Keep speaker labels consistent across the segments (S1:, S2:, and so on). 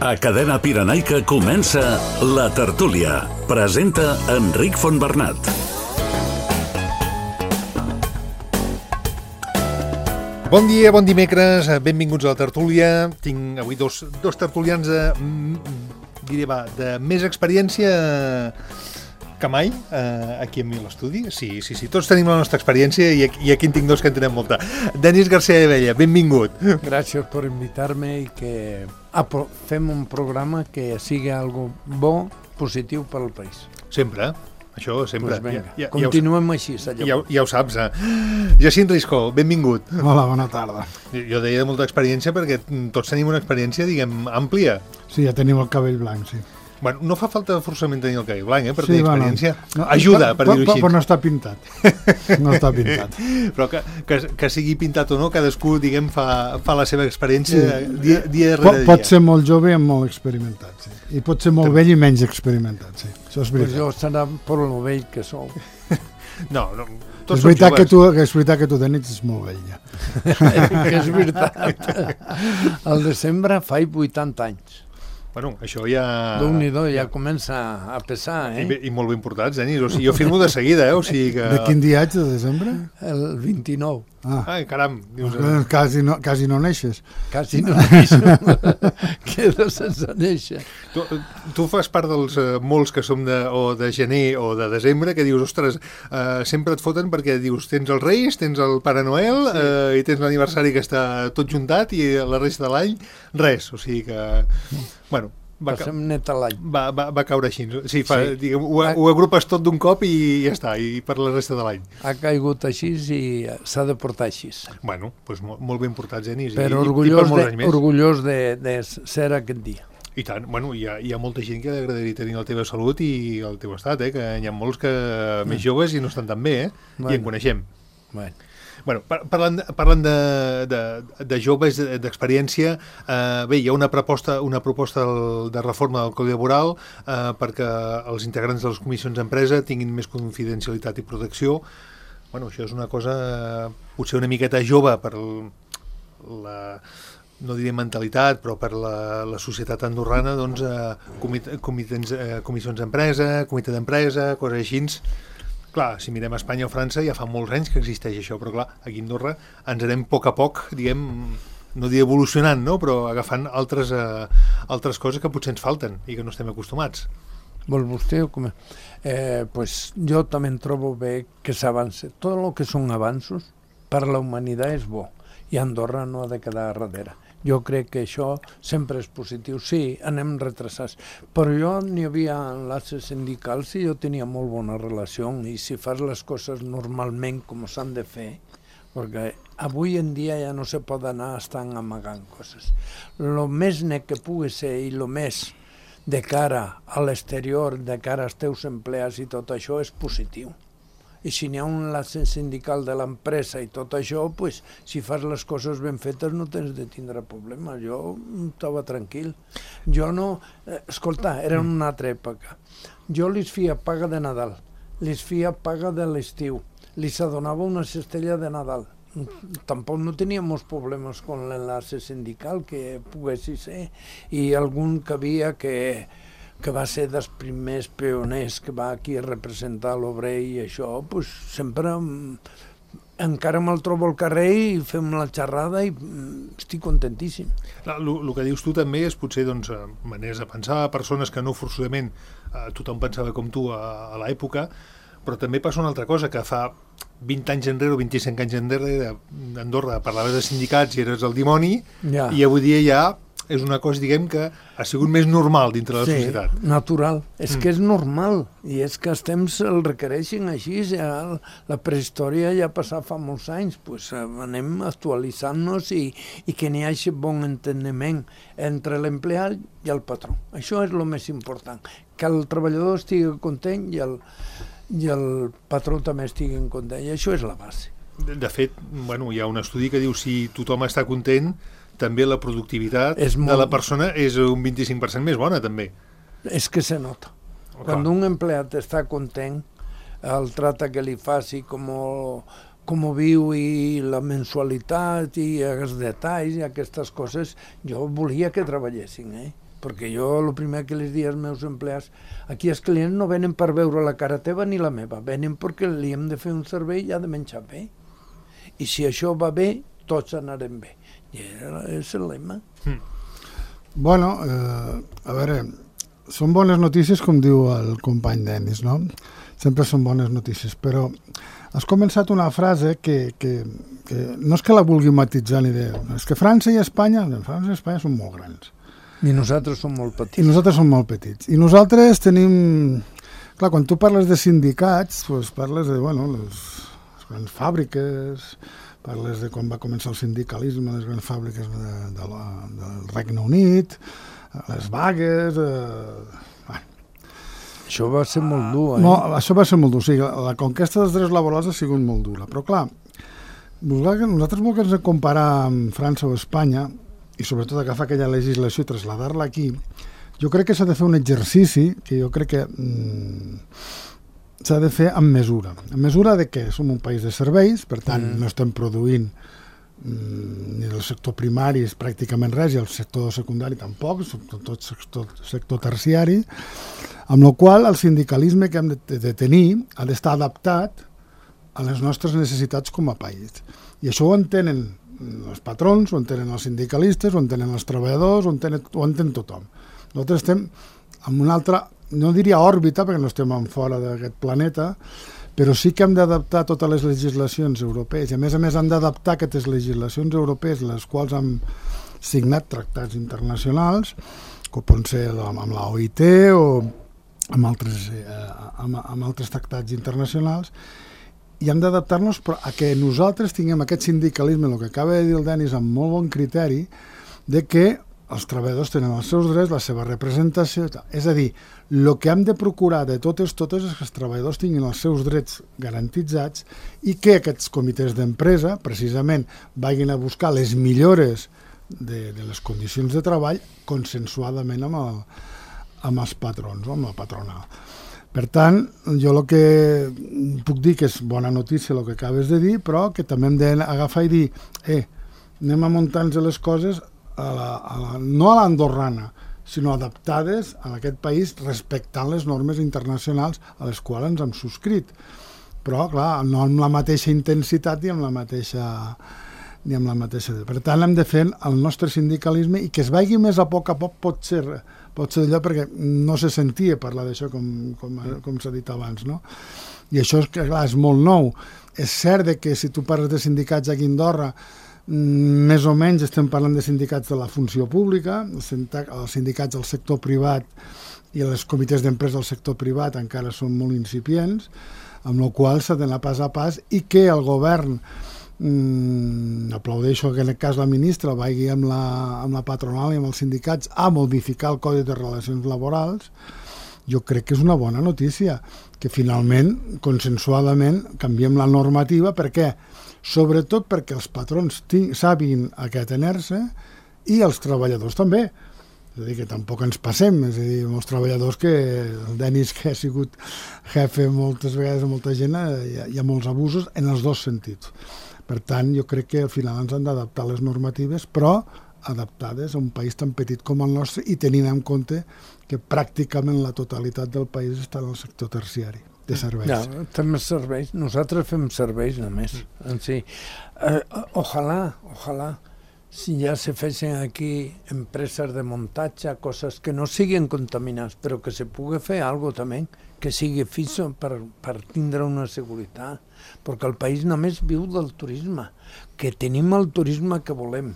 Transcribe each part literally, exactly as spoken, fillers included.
S1: A Cadena Pirenaica comença La Tertúlia. Presenta Enric Fontbernat.
S2: Bon dia, bon dimecres, benvinguts a La Tertúlia. Tinc avui dos, dos tertulians de, diré, va, de més experiència que mai eh, aquí amb mi a l'estudi. Sí, sí, sí, tots tenim la nostra experiència i aquí, i aquí en tinc dos que en tenen molta. Denis García de Bella, benvingut.
S3: Gràcies per invitar-me i que ah, fem un programa que sigui algo bo, positiu per al país.
S2: Sempre, això sempre.
S3: Pues venga,
S2: ja, ja,
S3: continuem
S2: ja
S3: així.
S2: Ja, ja ho saps, eh? Jacint Risco, benvingut.
S4: Hola, bona tarda.
S2: Jo deia de molta experiència perquè tots tenim una experiència, diguem, àmplia.
S4: Sí, ja tenim el cabell blanc, sí.
S2: Bueno, no fa falta forçament tenir el cabell blanc, eh, per
S4: sí,
S2: tenir experiència.
S4: Bueno, no,
S2: ajuda, per, per dir-ho així.
S4: Però no està pintat. No està pintat.
S2: Però que, que, que sigui pintat o no, cadascú, diguem, fa, fa la seva experiència sí. dia, dia rere
S4: pot,
S2: dia.
S4: Pot ser molt jove i molt experimentat, sí. I pot ser molt vell i menys experimentat, sí. Això és veritat.
S3: Pues jo serà per lo vell que sou.
S2: No, no. Tots
S4: és veritat, que tu, que és veritat que tu, Denis, és molt vell, ja.
S3: Que és veritat. Al desembre faig vuitanta anys.
S2: Bueno, això ja...
S3: Déu-n'hi-do, ja comença a pesar, eh?
S2: I, i molt ben portats, Denis. O sigui, jo firmo de seguida, eh? O sigui que...
S4: De quin dia ets, de desembre?
S3: El vint-i-nou.
S2: Ah. Ai, caram. Dius,
S4: eh? quasi, no, quasi no neixes.
S3: Quasi no neixes. Queda sense néixer.
S2: Tu, tu fas part dels uh, molts que som de, o de gener o de desembre que dius, ostres, uh, sempre et foten perquè dius, tens els Reis, tens el Pare Noel sí. uh, i tens l'aniversari que està tot juntat i la resta de l'any, res. O sigui que... Bueno, va,
S3: passem net a l'any.
S2: Va, va, va caure així. Sí, fa,
S3: sí.
S2: Diguem, ho, ho agrupes tot d'un cop i ja està, i per la resta de l'any.
S3: Ha caigut així i s'ha de portar així.
S2: Bueno, doncs molt, molt ben portats, Denis.
S3: Però
S2: i,
S3: orgullós,
S2: i per molts
S3: de,
S2: anys més.
S3: orgullós de, de ser aquest dia.
S2: I tant, bueno, hi ha, hi ha molta gent que li agradaria tenir la teva salut i el teu estat, eh? Que hi ha molts que mm. més joves i no estan tan bé, eh? Bueno. I en coneixem.
S3: Bueno.
S2: Bueno, parlant, parlant de, de, de joves, d'experiència, eh, bé, hi ha una proposta, una proposta de reforma del Codi Laboral eh, perquè els integrants de les comissions d'empresa tinguin més confidencialitat i protecció. Bueno, això és una cosa eh, potser una miqueta jove per la, no diré mentalitat, però per la, la societat andorrana, doncs, eh, comit, comitents, eh, comissions d'empresa, comitè d'empresa, coses així. Clar, si mirem a Espanya o França ja fa molts anys que existeix això, però clar, aquí a Andorra ens anem a poc a poc, diguem, no diré evolucionant, no? Però agafant altres, eh, altres coses que potser ens falten i que no estem acostumats.
S3: Vol vostè o com? Eh, pues jo també em trobo bé que s'avance. Tot el que són avanços per a la humanitat és bo i Andorra no ha de quedar darrere. Jo crec que això sempre és positiu. Sí, anem retrasats, però jo n'hi havia enlaces sindicals i jo tenia molt bona relació i si fas les coses normalment com s'han de fer, perquè avui en dia ja no se pot anar estant amagant coses. Lo més net que pugui ser i lo més de cara a l'exterior, de cara als teus empleats i tot això és positiu. I si n'hi ha un enlace sindical de l'empresa i tot això, pues, si fas les coses ben fetes no tens de tindre problemes. Jo estava tranquil. Jo no... Eh, escolta, era una altra època. Jo li feia paga de Nadal, li feia paga de l'estiu, li donava una cistella de Nadal. Tampoc no teníem problemes amb l'enlace sindical que pogués ser, i algun que havia que... que va ser dels primers pioners que va aquí a representar l'obrer i això, pues, sempre encara me'l trobo al carrer i fem la xerrada i estic contentíssim.
S2: El que dius tu també és potser doncs, maneres de pensar, persones que no forçosament eh, tothom pensava com tu a, a l'època, però també passa una altra cosa, que fa vint anys enrere o vint-i-cinc anys enrere d'Andorra parlaves de sindicats i eres el dimoni, ja. I avui dia ja és una cosa, diguem, que ha sigut més normal dintre de la
S3: sí,
S2: societat.
S3: Natural. És mm. que és normal. I és que els temps el requereixen així. Ja, la prehistòria ja ha passat fa molts anys. Pues anem actualitzant-nos i, i que n'hi hagi bon enteniment entre l'empleat i el patró. Això és el més important. Que el treballador estigui content i el, i el patró també estigui content. I això és la base.
S2: De, de fet, bueno, hi ha un estudi que diu si tothom està content, també la productivitat molt... de la persona és un vint-i-cinc per cent més bona, també.
S3: És que se nota. Okay. Quan un empleat està content, el tracte que li faci, com, com viu i la mensualitat i els detalls i aquestes coses, jo volia que treballessin, eh? perquè jo el primer que les dic als meus empleats, aquí els clients no venen per veure la cara teva ni la meva, venen perquè li hem de fer un servei i ha de menjar bé. I si això va bé, tots anarem bé. I és el lema. Mm.
S4: Bueno, eh, a veure, són bones notícies, com diu el company Denis, no? Sempre són bones notícies, però has començat una frase que, que, que no és que la vulgui matitzar ni de... És que França i Espanya, França i Espanya són molt grans.
S3: I nosaltres som molt petits.
S4: I nosaltres som molt petits. I nosaltres tenim... Clar, quan tu parles de sindicats, doncs parles de, bueno, les, les grans fàbriques, parles de quan va començar el sindicalisme, les grans fàbriques de, de la, del Regne Unit, les vagues... Eh,
S3: Això va ser molt dur, eh?
S4: No, això va ser molt dur, sí. La conquesta dels drets laborals ha sigut molt dura. Però, clar, nosaltres volem comparar amb França o Espanya, i sobretot agafar aquella legislació i traslladar-la aquí, jo crec que s'ha de fer un exercici que jo crec que mm, s'ha de fer amb mesura. Amb mesura de què? Som un país de serveis, per tant, mm. no estem produint mm, ni del sector primari pràcticament res, i el sector secundari tampoc, tot sector, sector terciari, amb la qual el sindicalisme que hem de, de tenir ha d'estar adaptat a les nostres necessitats com a país. I això ho entenen els patrons, ho entenen els sindicalistes, ho entenen els treballadors, ho entenen, ho entén tothom. Nosaltres estem en una altra, no diria òrbita, perquè no estem en fora d'aquest planeta, però sí que hem d'adaptar totes les legislacions europees, i a més a més hem d'adaptar aquestes legislacions europees, les quals han signat tractats internacionals, com pot ser amb la O I T o amb altres, eh, amb, amb altres tractats internacionals, i hem d'adaptar-nos a que nosaltres tinguem aquest sindicalisme, el que acaba de dir el Denis amb molt bon criteri, de que els treballadors tenen els seus drets, la seva representació, és a dir, el que hem de procurar de totes totes és que els treballadors tinguin els seus drets garantitzats i que aquests comitès d'empresa, precisament, vagin a buscar les millores de, de les condicions de treball consensuadament amb el amb els patrons, o amb la patronal. Per tant, jo el que puc dir que és bona notícia el que acabes de dir, però que també hem d'agafar i dir, eh, anem a muntar-nos les coses a la, a la, no a l'andorrana, sinó adaptades a aquest país respectant les normes internacionals a les quals ens hem subscrit. Però, clar, no amb la mateixa intensitat ni amb la mateixa... ni amb la mateixa... Per tant, hem de fer el nostre sindicalisme i que es vagi més a poc a poc pot ser... pot ser allò perquè no se sentia parlar d'això com, com, com s'ha dit abans, no? I això és, clar, és molt nou. És cert que si tu parles de sindicats aquí a Andorra, més o menys estem parlant de sindicats de la funció pública, els sindicats del sector privat i els comitès d'empresa del sector privat encara són molt incipients, amb la qual s'ha d'anar pas a pas i que el govern Mm, aplaudeixo que en aquest cas la ministra vagi amb la, amb la patronal i amb els sindicats a modificar el Codi de Relacions Laborals. Jo crec que és una bona notícia que finalment, consensuadament, canviem la normativa. Per què? Sobretot perquè els patrons sàpiguin a què atener-se i els treballadors també. És a dir, que tampoc ens passem, és a dir, molts treballadors que el Denis, que ha sigut jefe moltes vegades de molta gent, hi ha, hi ha molts abusos en els dos sentits. Per tant, jo crec que al final ens han d'adaptar les normatives, però adaptades a un país tan petit com el nostre i tenint en compte que pràcticament la totalitat del país està en el sector terciari de serveis.
S3: Ja, fem serveis, nosaltres fem serveis només, en si. Eh, ojalà, ojalà, si ja se fessin aquí empreses de muntatge, coses que no siguin contaminants, però que se pugui fer alguna cosa també, que sigui fixo per, per tindre una seguretat, perquè el país només viu del turisme, que tenim el turisme que volem,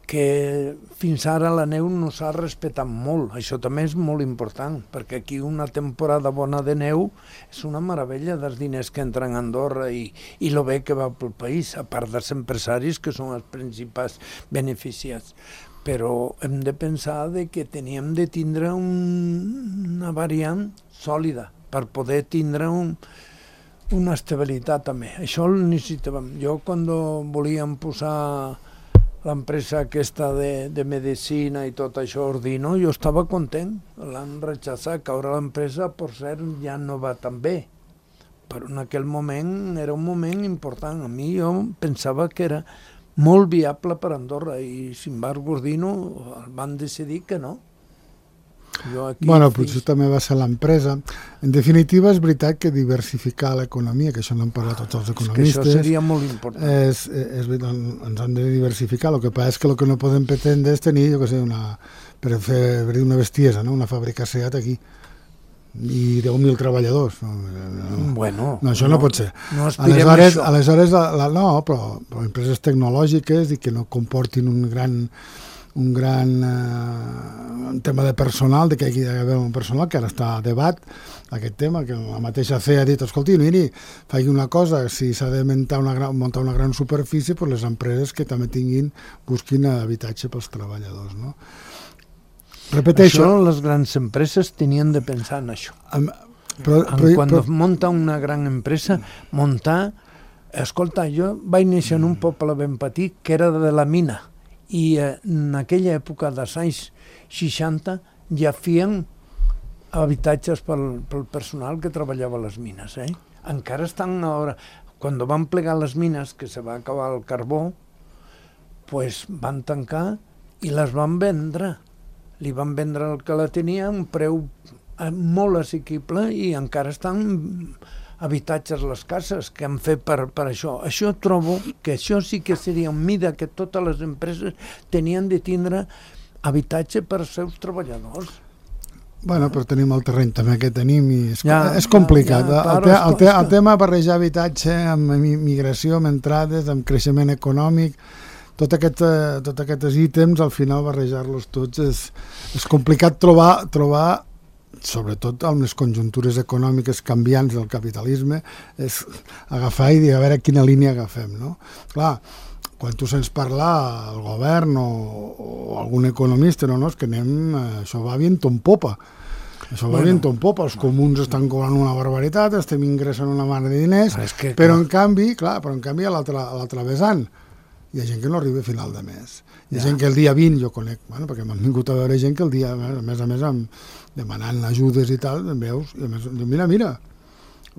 S3: que fins ara la neu no s'ha respectat molt, això també és molt important, perquè aquí una temporada bona de neu és una meravella dels diners que entren a Andorra i, i lo bé que va pel país, a part dels empresaris que són els principals beneficiats. Però hem de pensar de que teníem de tindre un, una variant sòlida per poder tindre un, una estabilitat també. Això ho necessitàvem. Jo quan volíem posar l'empresa aquesta de, de medicina i tot això, Ordino, jo estava content. L'han rechazat, que ara l'empresa, per cert, ja no va tan bé. Però en aquell moment era un moment important. A mi jo pensava que era molt viable per Andorra i, sin embargo, Ordino van decidir que no.
S4: Bueno, potser també va ser l'empresa. En definitiva, és veritat que diversificar l'economia, que això n'han parlat tots els economistes...
S3: És que això seria molt important.
S4: És, és, ens hem de diversificar. El que passa és que el que no podem pretendre és tenir, jo què sé, una, per fer una bestiesa, no? Una fàbrica SEAT aquí i deu mil treballadors. No, no,
S3: bueno,
S4: no això no, no pot ser.
S3: No aspirem
S4: aleshores,
S3: a això.
S4: Aleshores, la, la, no, però, però empreses tecnològiques i que no comportin un gran... un gran eh, un tema de personal, de que hi ha d'haver un personal, que ara està a debat aquest tema, que la mateixa C E A ha dit, escolti, miri, faci una cosa, si s'ha de muntar una, gran, muntar una gran superfície, pues les empreses que també tinguin, busquin habitatge pels treballadors, no? Repeteixo...
S3: Això les grans empreses tenien de pensar en això.
S4: Amb, però, però,
S3: Quan
S4: però,
S3: munta una gran empresa, muntar... Escolta, jo vaig néixer en un poble ben petit que era de la mina, i en aquella època dels anys seixanta ja feien habitatges pel, pel personal que treballava a les mines. Eh? Encara estan ara... Quan van plegar les mines, que se va acabar el carbó, pues van tancar i les van vendre. Li van vendre el que la tenia a un preu molt assequible i encara estan habitatges les cases que han fet per, per això. Això trobo que això sí que seria una mida que totes les empreses tenien de tindre habitatge per als seus treballadors.
S4: Bueno, però tenim el terreny també que tenim i és,
S3: ja,
S4: és complicat.
S3: Ja, ja,
S4: el, te, el, te, el tema de barrejar habitatge amb migració, amb entrades, amb creixement econòmic, tot aquest, tot aquests ítems, al final barrejar-los tots és, és complicat trobar, trobar sobretot amb les conjuntures econòmiques canviants del capitalisme, és agafar i dir a veure quina línia agafem, no? Clar, quan tu sents parlar al govern o, o algun economista, no, no, és que anem, això va viento en popa, això va bueno, viento en popa, els comuns estan cobrant una barbaritat, estem ingressant una mar de diners, que, però en canvi, clar, però en canvi a l'altre vessant hi ha gent que no arriba a final de mes. Hi ha ja. gent que el dia vint, jo conec, bueno, perquè m'han vingut a veure gent que el dia, a més a més, amb, demanant ajudes i tal, em veus, i a més, mira, mira,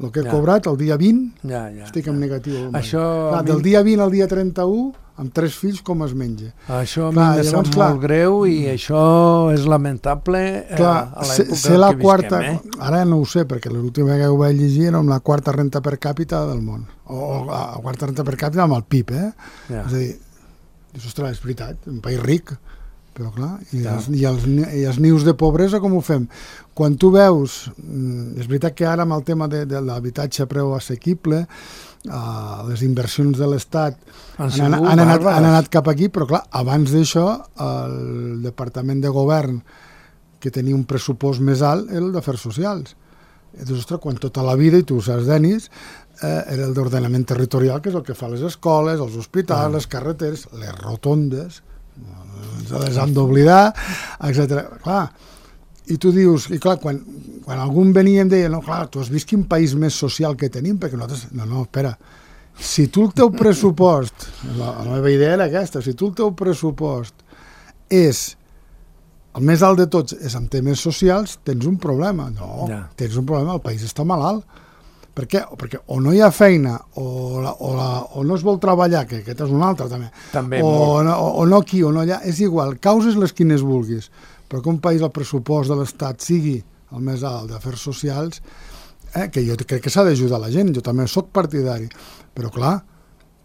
S4: el que he ja. cobrat el dia vint,
S3: ja, ja,
S4: estic en
S3: ja.
S4: negatiu.
S3: Això
S4: clar, del dia vint al dia trenta-u, amb tres fills, com es menja?
S3: Això a mi me sap molt greu i això és lamentable clar, a l'època
S4: que la quarta,
S3: visquem. Eh?
S4: Ara no ho sé, perquè l'última que ho vaig llegir era amb la quarta renta per càpita del món, o, o la quarta renta per càpita amb el P I B, eh? Ja. És a dir, dius, ostres, és veritat, un país ric, però clar, i, ja. els, i, els, i els nius de pobresa com ho fem? Quan tu veus, és veritat que ara amb el tema de, de l'habitatge a preu assequible, uh, les inversions de l'Estat han, han, han, anat, han anat cap aquí, però clar, abans d'això el Departament de Govern, que tenia un pressupost més alt, era el d'Afers Socials. I dius, ostres, quan tota la vida, i tu ho saps, Denis, eh, era el d'ordenament territorial, que és el que fa les escoles, els hospitals, ah. les carreteres, les rotondes, ens les han d'oblidar, etcètera. Clar, i tu dius, i clar, quan, quan algun venia em deia, no, clar, tu has vist quin país més social que tenim, perquè nosaltres, no, no, espera, si tu el teu pressupost, la, la meva idea era aquesta, si tu el teu pressupost és el més alt de tots, és amb temes socials, tens un problema. No, ja. tens un problema, el país està malalt. Per què? Perquè o no hi ha feina, o, la, o, la, o no es vol treballar, que aquest és un altre també,
S3: també
S4: o, no, o no aquí o no allà, és igual, causes les quines vulguis, però que un país, el pressupost de l'Estat sigui el més alt d'afers socials, eh, que jo crec que s'ha d'ajudar la gent, jo també soc partidari, però clar,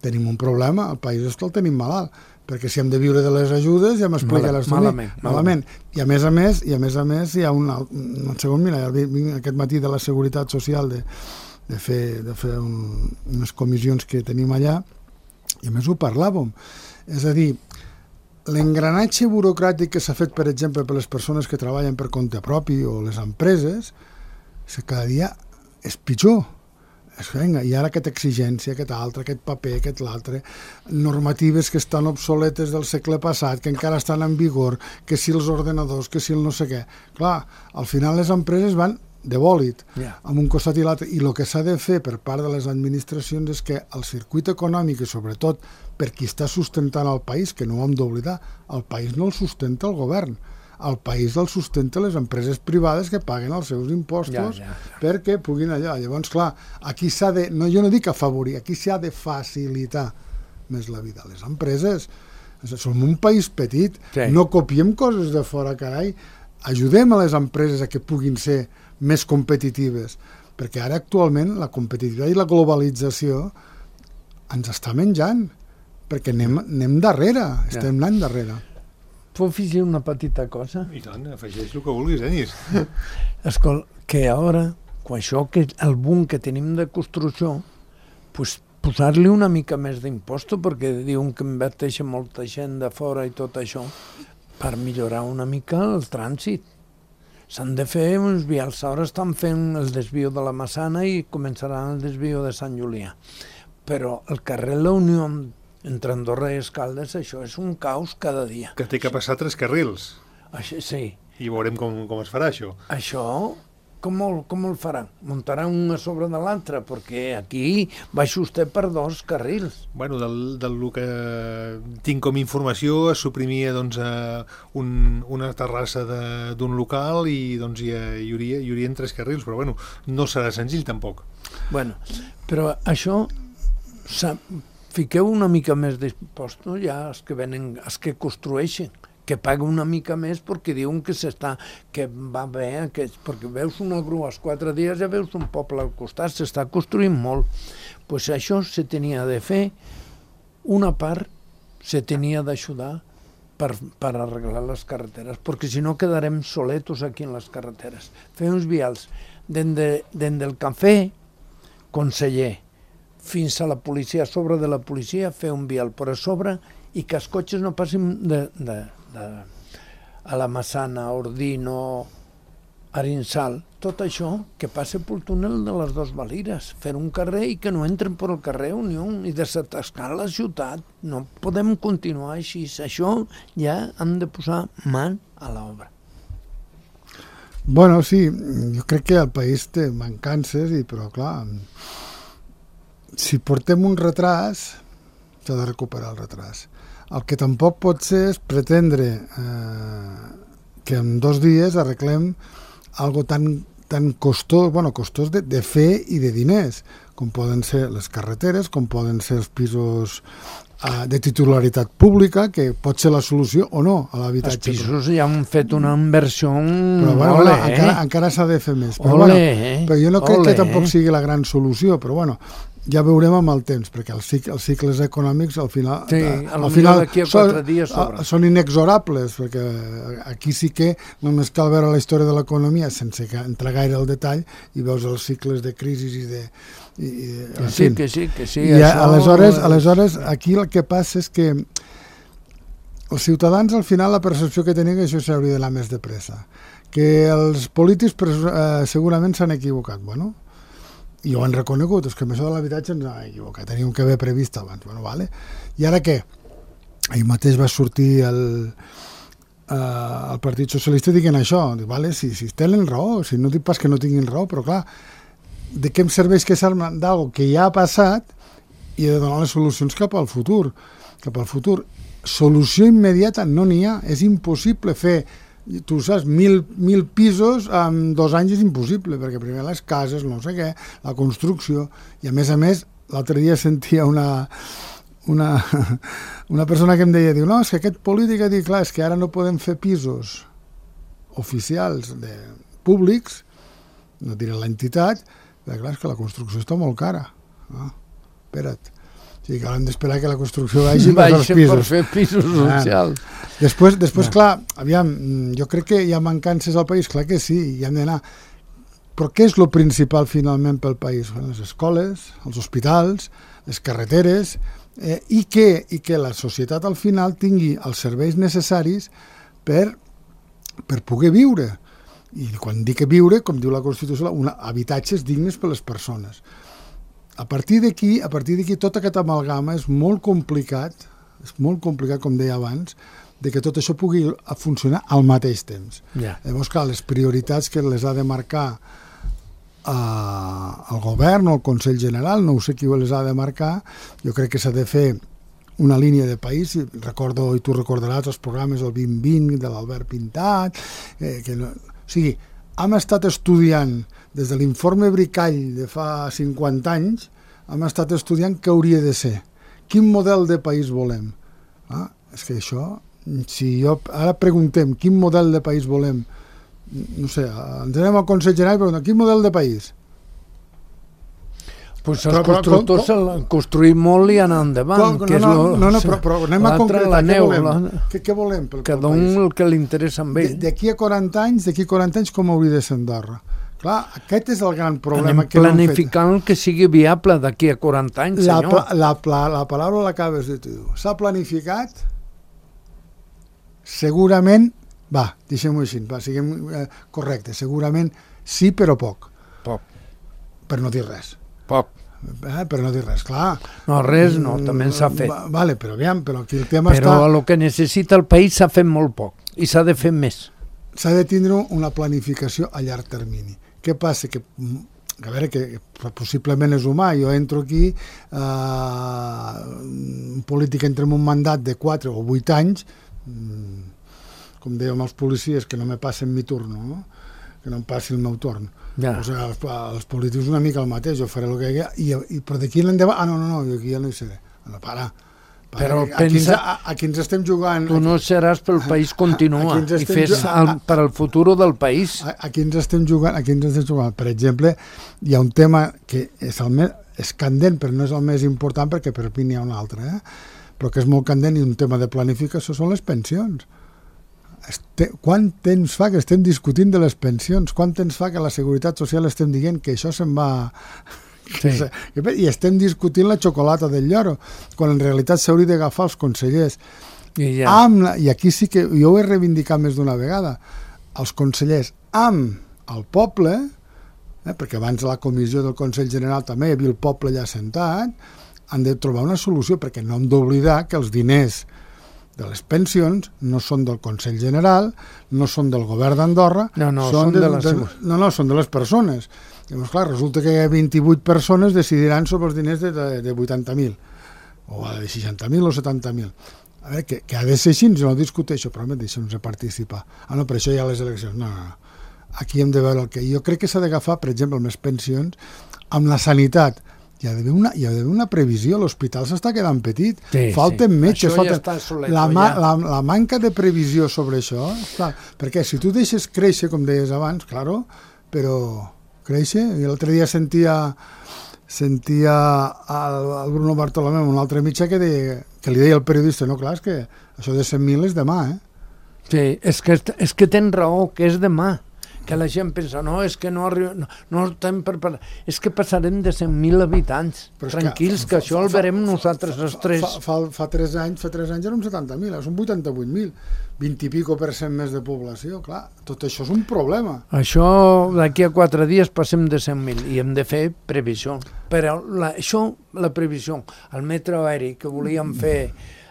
S4: tenim un problema, el país és que el tenim malalt, perquè si hem de viure de les ajudes ja m'explica
S3: Mal,
S4: l'estudi.
S3: Malament,
S4: malament. I a més a més, i a més a més hi ha un, un segon, mira, vinc aquest matí de la Seguretat Social de, de fer, de fer un, unes comissions que tenim allà, i a més ho parlàvem. És a dir, l'engranatge burocràtic que s'ha fet, per exemple, per les persones que treballen per compte propi o les empreses, cada dia és pitjor. Venga, i ara aquesta exigència, aquest altre, aquest paper, aquest l'altre, normatives que estan obsoletes del segle passat, que encara estan en vigor, que si els ordenadors, que si el no sé què. Clar, al final les empreses van de bòlit, yeah. amb un costat i l'altre, i el que s'ha de fer per part de les administracions és que el circuit econòmic, i sobretot per qui està sustentant el país, que no ho hem d'oblidar, el país no el sustenta el govern, el país el sustenta les empreses privades que paguen els seus impostos ja, ja, ja. perquè puguin allà. Llavors, clar, aquí s'ha de, no, jo no dic afavorir, aquí s'ha de facilitar més la vida. Les empreses, som un país petit, sí. no copiem coses de fora, carai. ajudem a les empreses a que puguin ser més competitives, perquè ara actualment la competitivitat i la globalització ens està menjant, perquè anem, anem darrere, estem anant darrere.
S3: Puc afegir una petita cosa?
S2: I tant, afegeix el que vulguis, Denis.
S3: Escolta, que ara, quan això, que el boom que tenim de construcció, pues, posar-li una mica més d'imposto, perquè diuen que inverteixen molta gent de fora i tot això, per millorar una mica el trànsit. S'han de fer uns vials. Ara estan fent el desvio de la Massana i començaran el desvio de Sant Julià. Però el carrer La Unió entre Andorra i Escaldes, això és un caos cada dia.
S2: Que té que passar tres carrils.
S3: Això, sí.
S2: I veurem com, com es farà, això.
S3: Això, com el, com el faran? Muntaran un a sobre de l'altre, perquè aquí baixa vostè per dos carrils.
S2: Bueno, del, del que tinc com informació, es suprimia doncs, eh, un, una terrassa d'un local i doncs, hi, hi, hauria, hi haurien tres carrils, però bueno, no serà senzill tampoc.
S3: Bueno, però això... Fiqueu una mica més d'impostos ja els que venen, els que construeixen, que paguen una mica més perquè diuen que s'està, que va bé, que, perquè veus una grua als quatre dies ja veus un poble al costat, s'està construint molt. Doncs pues això se tenia de fer, una part se tenia d'ajudar per, per arreglar les carreteres, perquè si no quedarem soletos aquí en les carreteres. Fer uns vials des de, del cafè, conseller, fins a la policia, a sobre de la policia, fer un vial per a sobre i que els cotxes no passin de, de, de, a la Massana, Ordino, Arinsal, tot això que passa pel túnel de les dues Valires, fer un carrer i que no entren per el carrer Unió i desatascar la ciutat. No podem continuar així. Això ja hem de posar mà a l'obra.
S4: Bueno, sí, jo crec que el país té mancances, i però clar... Si portem un retras, s'ha de recuperar el retras. El que tampoc pot ser és pretendre eh, que en dos dies arreglem algo tan, tan costós, bueno, costós de, de fer i de diners, com poden ser les carreteres, com poden ser els pisos eh, de titularitat pública, que pot ser la solució o no a l'habitatge.
S3: Els pisos ja han fet una inversió...
S4: Però bueno,
S3: ole,
S4: bueno,
S3: eh?
S4: encara, encara s'ha de fer més. Però,
S3: ole,
S4: bueno,
S3: eh?
S4: però jo no crec
S3: ole,
S4: que tampoc
S3: eh?
S4: sigui la gran solució, però bueno, ja veurem amb el temps, perquè els, cic els cicles econòmics al final,
S3: sí,
S4: al final
S3: d'aquí a quatre dies sobre.
S4: Són inexorables, perquè aquí sí que només cal veure la història de l'economia sense entrar gaire al detall i veus els cicles de crisi i de... I, i,
S3: que sí, que sí, que sí.
S4: I això... aleshores, aleshores aquí el que passa és que els ciutadans al final la percepció que tenen que això s'hauria d'anar més de pressa, que els polítics eh, segurament s'han equivocat. Bueno, i ho han reconegut, és que amb això de l'habitatge ens hem equivocat, teníem que haver previst abans. Bueno, vale. I ara què? Ahir mateix va sortir el, eh, el Partit Socialista dient això. Dic, vale, si, si tenen raó, si no dic pas que no tinguin raó, però clar, de què em serveix que s'armen d'algo que ja ha passat i he de donar les solucions cap al futur. Cap al futur. Solució immediata no n'hi ha, és impossible fer... Tu saps, mil, mil pisos en dos anys és impossible, perquè primer les cases, no sé què, la construcció, i a més a més, l'altre dia sentia una, una, una persona que em deia, diu, no, és que aquest polític ha dit, clar, és que ara no podem fer pisos oficials de públics, no diré l'entitat, perquè clar, és que la construcció està molt cara. Ah, espera't. O sigui, que haurem d'esperar que la construcció vagi per als pisos.
S3: Per fer pisos socials.
S4: Ah. Després, després clar, aviam, jo crec que hi ha mancances al país, clar que sí, hi hem d'anar. Però què és el principal finalment pel país? Les escoles, els hospitals, les carreteres, eh, i, que, i que la societat al final tingui els serveis necessaris per, per poder viure. I quan dic viure, com diu la Constitució, una, habitatges dignes per les persones. A partir d'aquí, a partir d'aquí, tot aquest amalgama és molt complicat, és molt complicat, com deia abans, de que tot això pugui funcionar al mateix temps.
S3: Yeah.
S4: Llavors, clar, les prioritats que les ha de marcar eh, el govern o el Consell General, no ho sé qui les ha de marcar, jo crec que s'ha de fer una línia de país. Recordo, i tu recordaràs els programes del vint vint de l'Albert Pintat, eh, que no... o sigui, hem estat estudiant des de l'informe Bricall de fa cinquanta anys, hem estat estudiant què hauria de ser, quin model de país volem. Ah, és que això, si jo ara preguntem quin model de país volem no sé, ens anem al Consell General, però quin model de país?
S3: Pues els constructors s'han construït molt i anar endavant.
S4: No, no, no, no, però, però anem a concretar, què volem? Què, què volem pel,
S3: cada un el que li interessa amb ell.
S4: D'aquí a quaranta anys, d'aquí a quaranta anys com hauria de ser Andorra? Clar, aquest és el gran problema.
S3: Anem planificant que sigui viable d'aquí a quaranta anys,
S4: la,
S3: senyor.
S4: La, la, la paraula l'acabes de dir. S'ha planificat, segurament, va, deixem-ho així, va, siguem eh, correctes, segurament sí, però poc.
S3: Poc.
S4: Per no dir res.
S3: Poc.
S4: Eh, per no dir res, clar.
S3: No, res no, també s'ha fet.
S4: Va, vale, però aviam, però aquí el tema
S3: però
S4: està...
S3: Però el que necessita el país s'ha fet molt poc i s'ha de fer més.
S4: S'ha de tindre una planificació a llarg termini. Què passa? Que, a veure, que possiblement és humà. Jo entro aquí, eh, en política entre un mandat de quatre o vuit anys, com dèiem els policies, que no me passen mi turno, no? Que no em passi el meu torn.
S3: Ja.
S4: O sigui, els, els polítics una mica el mateix, jo faré el que hi ha, i, i, però d'aquí l'endavant, ah, no, no, no, jo aquí ja no hi seré. No, para. para
S3: però
S4: a,
S3: pensa...
S4: Aquí ens, a, aquí ens estem jugant...
S3: Tu no seràs pel país continua i fes el, per al futur del país.
S4: Aquí ens estem jugant, aquí ens estem jugant. Per exemple, hi ha un tema que és, el més, és candent, però no és el més important perquè per mi n'hi ha un altre, eh? Però que és molt candent i un tema de planificació són les pensions. Este, quant temps fa que estem discutint de les pensions? Quant temps fa que la Seguretat Social estem dient que això se'n va... Sí. I estem discutint la xocolata del lloro, quan en realitat s'hauria d'agafar els consellers.
S3: I, ja.
S4: Amb la, I aquí sí que jo ho he reivindicat més d'una vegada. Els consellers amb el poble, eh, perquè abans a la comissió del Consell General també hi havia el poble allà sentat, han de trobar una solució, perquè no hem d'oblidar que els diners de les pensions no són del Consell General, no són del govern d'Andorra,
S3: no, no,
S4: són,
S3: són de, de, les...
S4: de, no, no, són de les persones. Llavors, clar, resulta que hi ha vint-i-vuit persones decidiran sobre els diners de, de, de vuitanta mil, o de seixanta mil o setanta mil. A veure, que, que ha de ser així, jo no discuteixo, però me deixem-nos participar. Ah, no, per això hi ha les eleccions. No, no, no. Aquí hem de veure el que... Jo crec que s'ha d'agafar, per exemple, amb les pensions, amb la sanitat. Hi ha d'haver una, hi ha d'haver una previsió, l'hospital s'està quedant petit,
S3: sí,
S4: falten
S3: sí.
S4: metges,
S3: ja
S4: falten...
S3: solet,
S4: la, ma,
S3: ja.
S4: la, la manca de previsió sobre això, clar, perquè si tu deixes créixer, com deies abans, claro, però créixer, i l'altre dia sentia sentia el, el Bruno Bartolomeu, un altre mitjà, que, deia, que li deia al periodista, no, clar, és que això de cent mil és demà, eh?
S3: Sí, és que, és que tens raó, que és demà. Que la gent pensa, no, és que no arriba, no, no estem preparats, és que passarem de cent mil habitants, tranquils, que, que això el verem nosaltres els tres.
S4: Fa, fa, fa tres anys, fa tres anys érem setanta mil, són vuitanta-vuit mil, vint i pico per cent més de població, clar, tot això és un problema.
S3: Això, d'aquí a quatre dies passem de cent mil i hem de fer previsió. Però la, això, la previsió, el metro aeri que volíem fer,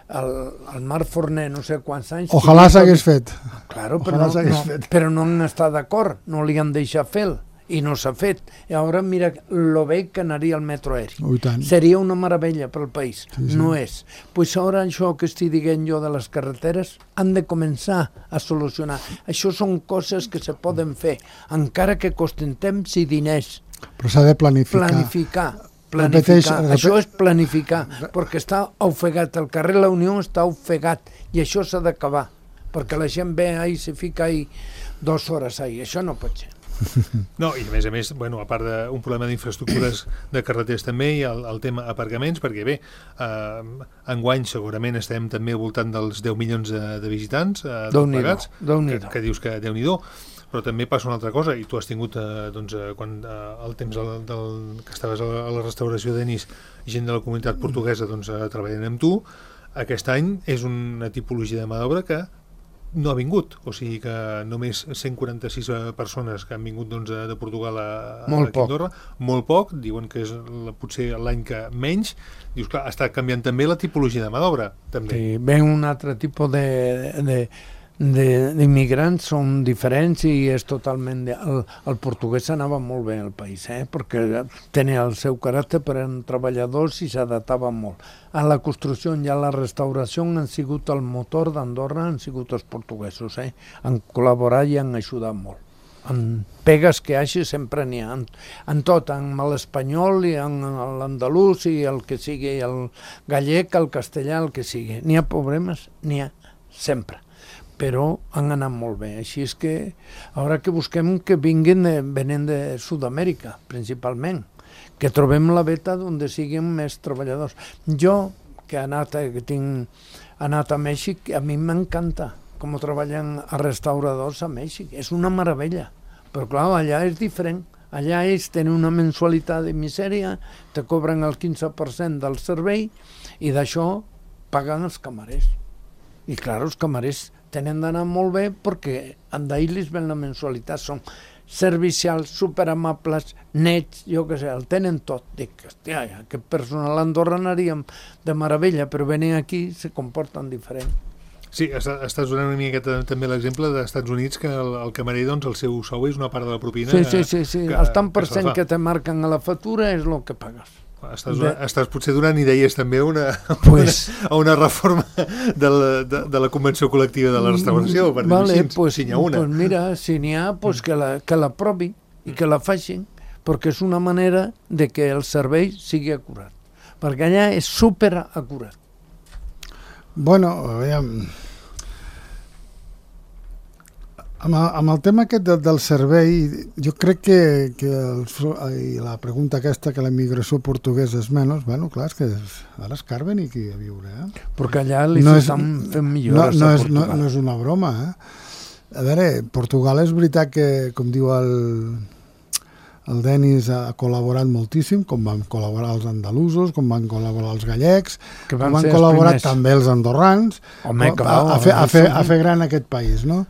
S3: el, el Mar Forner, no sé quants anys...
S4: Ojalà s'hagués fet.
S3: Claro, però no, no, però no han estat d'acord, no li han deixat fer i no s'ha fet. I ara mira lo bé que anaria el metro aeri.
S4: Oh,
S3: seria una meravella pel país.
S4: Sí, sí.
S3: No és. Pues ara això que estic dient jo de les carreteres han de començar a solucionar. Això són coses que se poden fer, encara que costen temps i diners.
S4: Però s'ha de planificar.
S3: Planificar. Planificar. Repeteix, repeteix. Això és planificar, perquè està ofegat, el carrer La Unió està ofegat i això s'ha d'acabar, perquè la gent ve ahí, se fica ahí dues hores ahí, això no pot ser.
S2: No, i a més a més, bueno, a part d'un problema d'infraestructures de carreteres també, hi ha el, el tema aparcaments, perquè bé, eh, enguany segurament estem també al voltant dels deu milions de, de visitants eh, pagats, que, que dius que Déu-n'hi-do, però també passa una altra cosa, i tu has tingut eh, doncs, eh, quan eh, el temps del, del, que estaves a la, a la restauració d'Enis, gent de la comunitat portuguesa doncs, eh, treballant amb tu, aquest any és una tipologia de mà d'obra que no ha vingut, o sigui que només cent quaranta-sis persones que han vingut doncs, de Portugal a, a Andorra, molt poc, diuen que és la, potser l'any que menys, dius, clar, està canviant també la tipologia de mà d'obra, també.
S3: Sí, ven un altre tipus de... de... d'immigrants són diferents i és totalment... De... El, el portuguès anava molt bé al país, eh? Perquè tenia el seu caràcter, però eren treballadors i s'adaptaven molt. A la construcció i a la restauració han sigut el motor d'Andorra, han sigut els portuguesos, eh? Han col·laborat i han ajudat molt. En pegues que hi hagi sempre n'hi ha, en, en tot, en l'espanyol i en l'andalús i el que sigui, el gallec, el castellà, el que sigui. N'hi ha problemes? N'hi ha, sempre. però han anat molt bé. Així és que ara que busquem que vinguin de, venen de Sud-amèrica, principalment, que trobem la beta on siguin més treballadors. Jo, que, he anat, que tinc anat a Mèxic, a mi m'encanta com treballen a restauradors a Mèxic. És una meravella, però clar, allà és diferent. Allà ells tenen una mensualitat de misèria, te cobren el quinze per cent del servei i d'això paguen els camarers. I clar, els camarers tenen d'anar molt bé perquè d'ahir ven la mensualitat, són servicials, superamables, nets, jo què sé, el tenen tot. Dic, hòstia, aquest personal a Andorra anaríem de meravella, però venen aquí i se comporten diferent.
S2: Sí, estàs donant una miqueta també l'exemple dels Estats Units, que el, el camarer, doncs, el seu sou és una part de la propina.
S3: Sí, sí, sí, sí.
S2: Que,
S3: el tant per cent
S2: que,
S3: que te marquen a la factura és el que pagues.
S2: Estàs, de... estàs potser donant idees també a una,
S3: pues...
S2: una, una reforma de la, de, de la Convenció Col·lectiva de la Restauració, per
S3: vale,
S2: dir-ho així,
S3: pues,
S2: si n'hi ha una.
S3: Pues mira, si n'hi ha, pues que la, que la provi i que la facin, perquè és una manera de que el servei sigui acurat. Perquè allà és super acurat.
S4: Bueno, aviam... Amb el, amb el tema aquest de, del servei, jo crec que, que el, i la pregunta aquesta, que la immigració portuguesa és menys, bueno, clar, és que és, ara és car venir aquí a viure, eh?
S3: Perquè allà li no estan fent millores
S4: no, no
S3: a
S4: és,
S3: Portugal.
S4: No, no és una broma, eh? A veure, Portugal és veritat que, com diu el, el Denis, ha col·laborat moltíssim, com van col·laborar els andalusos, com van col·laborar els gallecs,
S3: que van
S4: com van col·laborar
S3: els
S4: també els andorrans,
S3: Home,
S4: a,
S3: clar,
S4: a, fer, a, fer, a fer gran aquest país, no?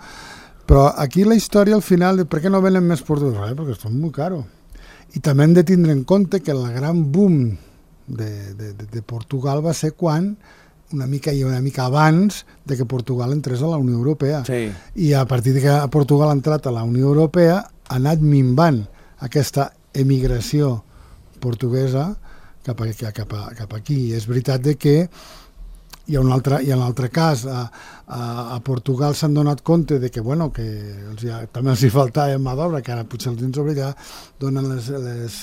S4: Però aquí la història, al final, de per què no venen més portuguesos? Perquè són molt caros. I també hem de tindre en compte que el gran boom de, de, de Portugal va ser quan, una mica i una mica abans de que Portugal entrés a la Unió Europea.
S3: Sí.
S4: I a partir de que Portugal ha entrat a la Unió Europea, ha anat minvant aquesta emigració portuguesa cap, a, cap, a, cap aquí. I és veritat de que hi ha un altre, hi ha un altre cas, a, a, a Portugal s'han donat compte de que, bueno, que els ha, també els hi faltava mà d'obra, que ara potser els dins sobre ja donen les, les,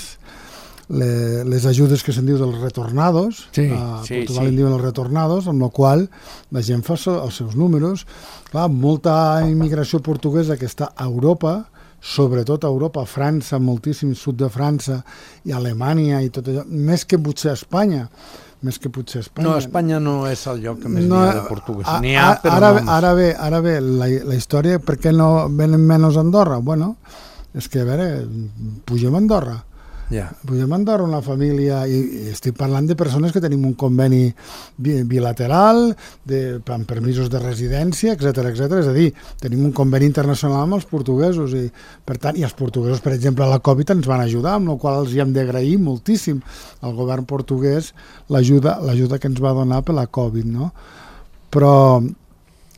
S4: les, les ajudes que se'n diu dels retornados,
S3: sí,
S4: a
S3: sí,
S4: Portugal
S3: sí.
S4: en diuen els retornados, amb la qual la gent fa els seus números. Clar, molta immigració portuguesa que està a Europa, sobretot a Europa, a França, moltíssim sud de França i Alemanya i tot allò, més que potser a Espanya, més que potser a Espanya.
S3: No, Espanya no és el lloc que més
S4: no,
S3: n'hi ha de portuguès.
S4: A,
S3: n'hi ha, però
S4: ara,
S3: no...
S4: Ara bé, ara bé la, la història, per què no venen menys a Andorra? Bueno, és que, a veure, pugem a Andorra.
S3: Ja.
S4: Pugem a Andorra una família, i, i estic parlant de persones que tenim un conveni bi, bilateral, de, amb permisos de residència, etcètera, etcètera. És a dir, tenim un conveni internacional amb els portuguesos, i per tant, i els portuguesos, per exemple, a la Covid ens van ajudar, amb la qual els hi hem d'agrair moltíssim al govern portuguès l'ajuda l'ajuda que ens va donar per la Covid, no? Però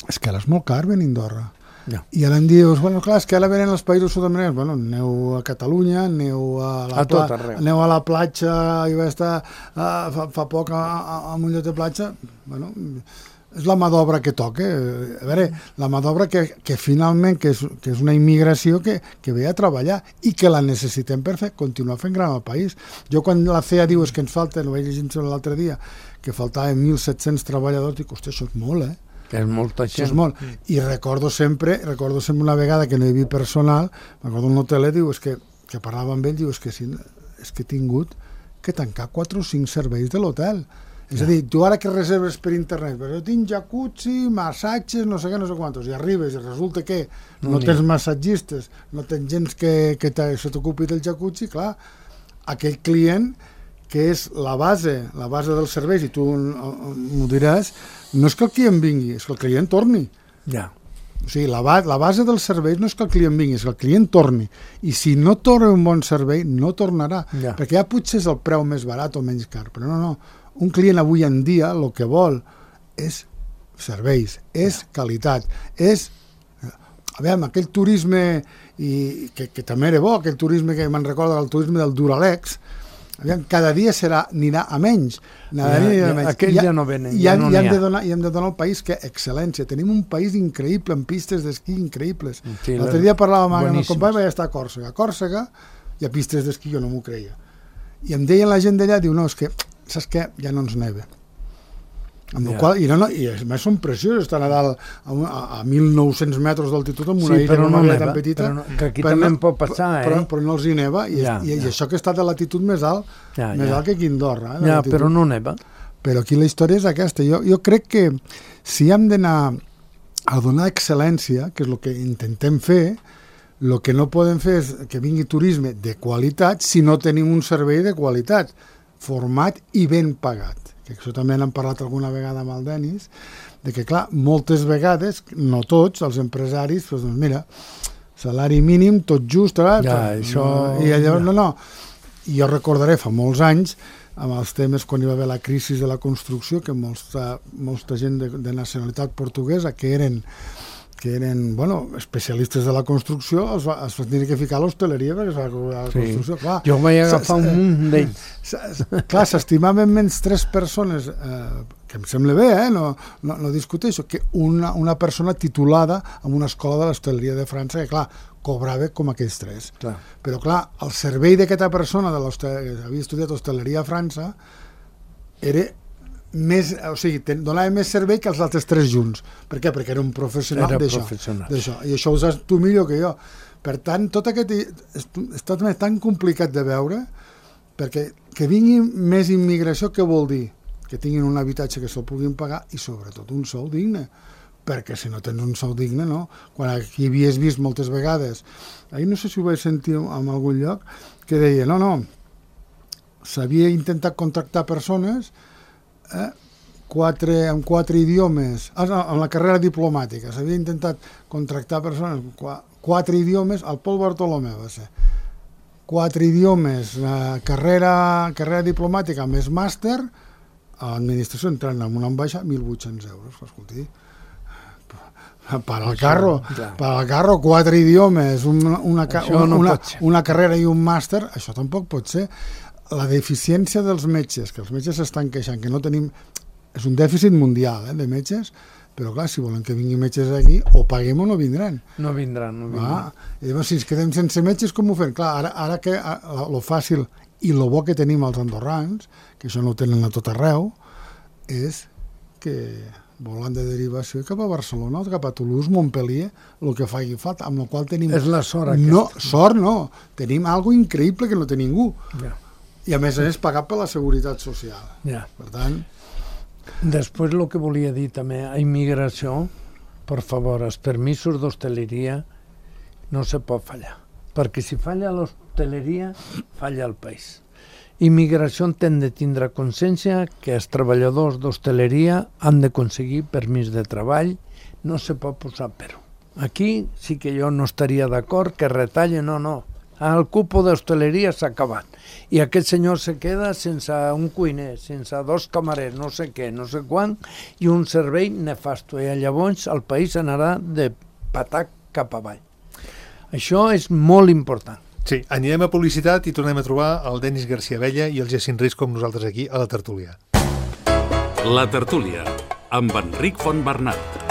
S4: és que ara és molt car venir a Andorra.
S3: No.
S4: I ara em dius, bueno, clar, és que ara venen els països sud-americans, bueno, aneu a Catalunya, aneu a la,
S3: a tot arreu.
S4: Aneu a la platja, i va estar uh, fa, fa poc a, a, a un lloc de platja, bueno, és la mà d'obra que toca. A veure, la mà d'obra que, que finalment, que és, que és una immigració que, que ve a treballar i que la necessitem per fer, continuar fent gran el país. Jo quan la C E A diu és que ens falta, no vaig llegir l'altre dia, que faltaven mil set-cents treballadors, dic, hòstia, això és molt, eh?
S3: Que és molta gent.
S4: Això és molt. I recordo sempre, recordo sempre una vegada que no hi havia personal, recordo un hoteler, diu, és que, que parlava amb ell, diu, és que, si, és que he tingut que tancar quatre o cinc serveis de l'hotel. És ja. a dir, tu ara que reserves per internet, però jo tinc jacuzzi, massatges, no sé què, no sé quantos, i arribes i resulta que no, no tens massatgistes, no tens gent que, que se t'ocupi del jacuzzi, clar, aquell client que és la base, la base dels serveis, i tu m'ho diràs, no és que el client vingui, és que el client torni.
S3: Ja.
S4: O sigui, la, ba la base dels serveis no és que el client vingui, és que el client torni. I si no torna un bon servei, no tornarà.
S3: Ja.
S4: Perquè ja potser és el preu més barat o menys car, però no, no. Un client avui en dia el que vol és serveis, és ja. qualitat, és... A veure, aquell turisme, i que, que també era bo, aquell turisme que me'n recorda, el turisme del Duralex, aviam, cada dia serà, anirà a menys.
S3: Ja, ja, menys. Aquells ja no venen,
S4: I,
S3: ja no n'hi ha.
S4: Hem de donar, I hem de donar al país que excel·lència. Tenim un país increïble, amb pistes d'esquí increïbles. Sí, l'altre dia parlàvem amb el company, vaig estar a Còrsega. A Còrsega hi ha pistes d'esquí, jo no m'ho creia. I em deien la gent d'allà, diu, no, és que, saps què? Ja no ens neva. Amb yeah. qual, i, no, no, i a més són preciosos, estan a dalt a, a, a mil nou-cents metres d'altitud amb una
S3: sí,
S4: illa
S3: no
S4: neva,
S3: tan
S4: petita,
S3: no, que aquí també no, pot passar
S4: però,
S3: eh?
S4: però no els hi neva i, ja, i, ja. i això que està de latitud més alt ja, més ja. alt que aquí a Andorra eh,
S3: ja, però no neva.
S4: Però aquí la història és aquesta. Jo, jo crec que si hem d'anar a donar excel·lència, que és el que intentem fer, el que no podem fer és que vingui turisme de qualitat si no tenim un servei de qualitat, format i ben pagat. Que això també n'hem parlat alguna vegada amb el Denis, de que, clar, moltes vegades, no tots, els empresaris, doncs, mira, salari mínim, tot just, eh?
S3: Ja, això...
S4: I allò, no, no. I jo recordaré fa molts anys, amb els temes quan hi va haver la crisi de la construcció, que molta, molta gent de, de nacionalitat portuguesa, que eren que eren, bueno, especialistes de la construcció, es va, es va tenir que ficar a l'hostaleria perquè es va cobrar la construcció.
S3: Sí. Clar, jo vaig agafar un munt d'ells.
S4: Clar, s'estimaven menys tres persones, eh, que em sembla bé, eh, no, no, no discuteixo, que una, una persona titulada en una escola de l'hostaleria de França, que clar, cobrava com aquells tres. Clar. Però clar, el servei d'aquesta persona de que havia estudiat hostaleria a França era més, o sigui, ten, donava més servei que els altres tres junts. Per què? Perquè era un professional d'això. I això ho saps tu millor que jo. Per tant, tot aquest està tan complicat de veure, perquè que vingui més immigració, què vol dir? Que tinguin un habitatge que se'l puguin pagar i sobretot un sou digne, perquè si no tens un sou digne, no? Quan aquí havies vist moltes vegades, ahir no sé si ho vaig sentir en algun lloc, que deia, no, no, s'havia intentat contractar persones Eh, quatre, amb quatre idiomes, ah, no, amb la carrera diplomàtica, s'havia intentat contractar persones, qu quatre idiomes, al Pol Bartolomeu va ser, quatre idiomes, eh, carrera, carrera diplomàtica més màster, a l'administració entrant en una ambaixada, mil vuit-cents euros, escolti, per al carro, per al carro, quatre idiomes, una, una, una,
S3: no
S4: una, una carrera i un màster, això tampoc pot ser. La deficiència dels metges, que els metges s'estan queixant, que no tenim... És un dèficit mundial, eh, de metges, però clar, si volen que vinguin metges aquí, o paguem o no vindran.
S3: No vindran, no vindran.
S4: Ah, i llavors, si ens quedem sense metges, com ho fem? Clar, ara, ara que lo fàcil i lo bo que tenim els andorrans, que això no ho tenen a tot arreu, és que volant de derivació cap a Barcelona o cap a Toulouse, Montpellier, el que faci falta, amb el qual tenim...
S3: És la sort aquesta.
S4: No, sort no, tenim algo increïble que no té ningú.
S3: Ja.
S4: I a més a més pagat per la Seguretat Social.
S3: Ja.
S4: Per tant...
S3: Després el que volia dir també, a immigració, per favor, els permisos d'hostaleria no se pot fallar, perquè si falla l'hostaleria, falla el país. Immigració han de tindre consciència que els treballadors d'hostaleria han d'aconseguir permís de treball, no se pot posar però. Aquí sí que jo no estaria d'acord que retallen, no, no. El cupo d'hostaleria s'ha acabat i aquest senyor se queda sense un cuiner, sense dos camarers, no sé què, no sé quan, i un servei nefasto, i llavors el país anarà de patac cap avall. Això és molt important.
S2: Sí, anirem a publicitat i tornem a trobar el Denis García Abella i el Jacint Risc com nosaltres aquí a la tertúlia.
S1: La tertúlia, amb Enric Fontbernat.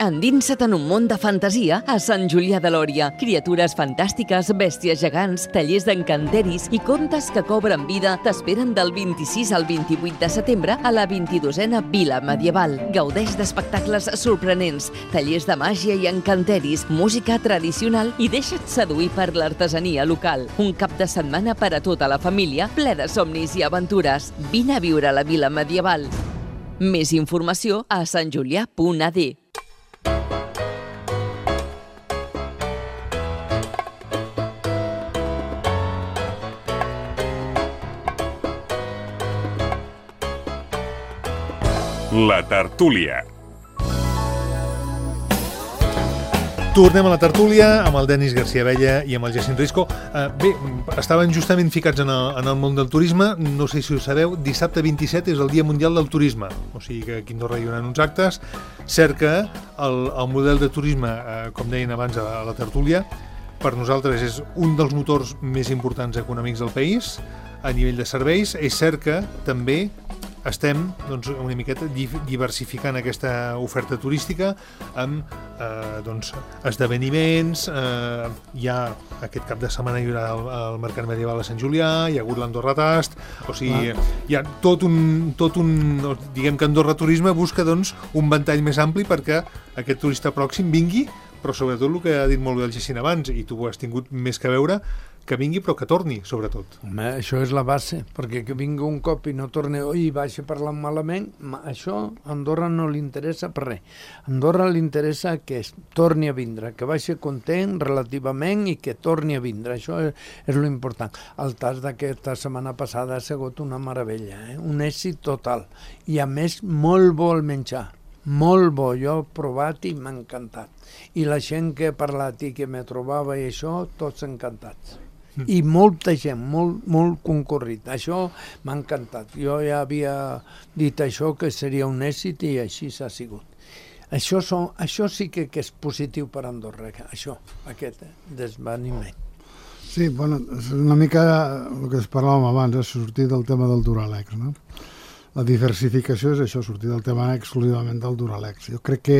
S5: Endinsa't en un món de fantasia a Sant Julià de Lòria. Criatures fantàstiques, bèsties gegants, tallers d'encanteris i contes que cobren vida t'esperen del vint-i-sis al vint-i-vuit de setembre a la vint-i-dosena Vila Medieval. Gaudeix d'espectacles sorprenents, tallers de màgia i encanteris, música tradicional i deixa't seduir per l'artesania local. Un cap de setmana per a tota la família, ple de somnis i aventures. Vine a viure a la Vila Medieval. Més informació a sant julià punt a d.
S1: La tertúlia.
S2: Tornem a la tertúlia amb el Denis García Abella i amb el Jacint Risco. Uh, bé, estaven justament ficats en el, en el món del turisme. No sé si ho sabeu, dissabte vint-i-set és el Dia Mundial del Turisme. O sigui que aquí a Andorra hi haurà uns actes. Cert que el, el model de turisme, uh, com deien abans a, a la tertúlia, per nosaltres és un dels motors més importants econòmics del país a nivell de serveis. És cert que també estem doncs, una miqueta diversificant aquesta oferta turística amb eh, doncs, esdeveniments, eh, hi ha aquest cap de setmana hi haurà el, el Mercat Medieval a Sant Julià, hi ha hagut l'Andorra Tast, o sigui, ah. hi ha tot un, tot un, diguem que Andorra Turisme busca doncs, un ventall més ampli perquè aquest turista pròxim vingui, però sobretot el que ha dit molt bé el Jacint abans, i tu ho has tingut més que veure, que vingui però que torni, sobretot.
S3: Home, això és la base, perquè que vingui un cop i no torni, oi, baixa parlant malament, això a Andorra no li interessa per res. A Andorra li interessa que es torni a vindre, que vagi content relativament i que torni a vindre, això és, és lo important. El tas d'aquesta setmana passada ha sigut una meravella, eh? Un èxit total, i a més molt bo el menjar. Molt bo, jo he provat i m'ha encantat. I la gent que he parlat i que me trobava i això, tots encantats. Mm. I molta gent, molt, molt concorrit. Això m'ha encantat. Jo ja havia dit això, que seria un èxit, i així s'ha sigut. Això, són, això sí que, que és positiu per Andorra, això, aquest eh, desveniment.
S4: Sí, bueno, és una mica el que es parlàvem abans, és sortir del tema del Duralex, no? La diversificació és això, sortir del tema exclusivament del Duralex. Jo crec que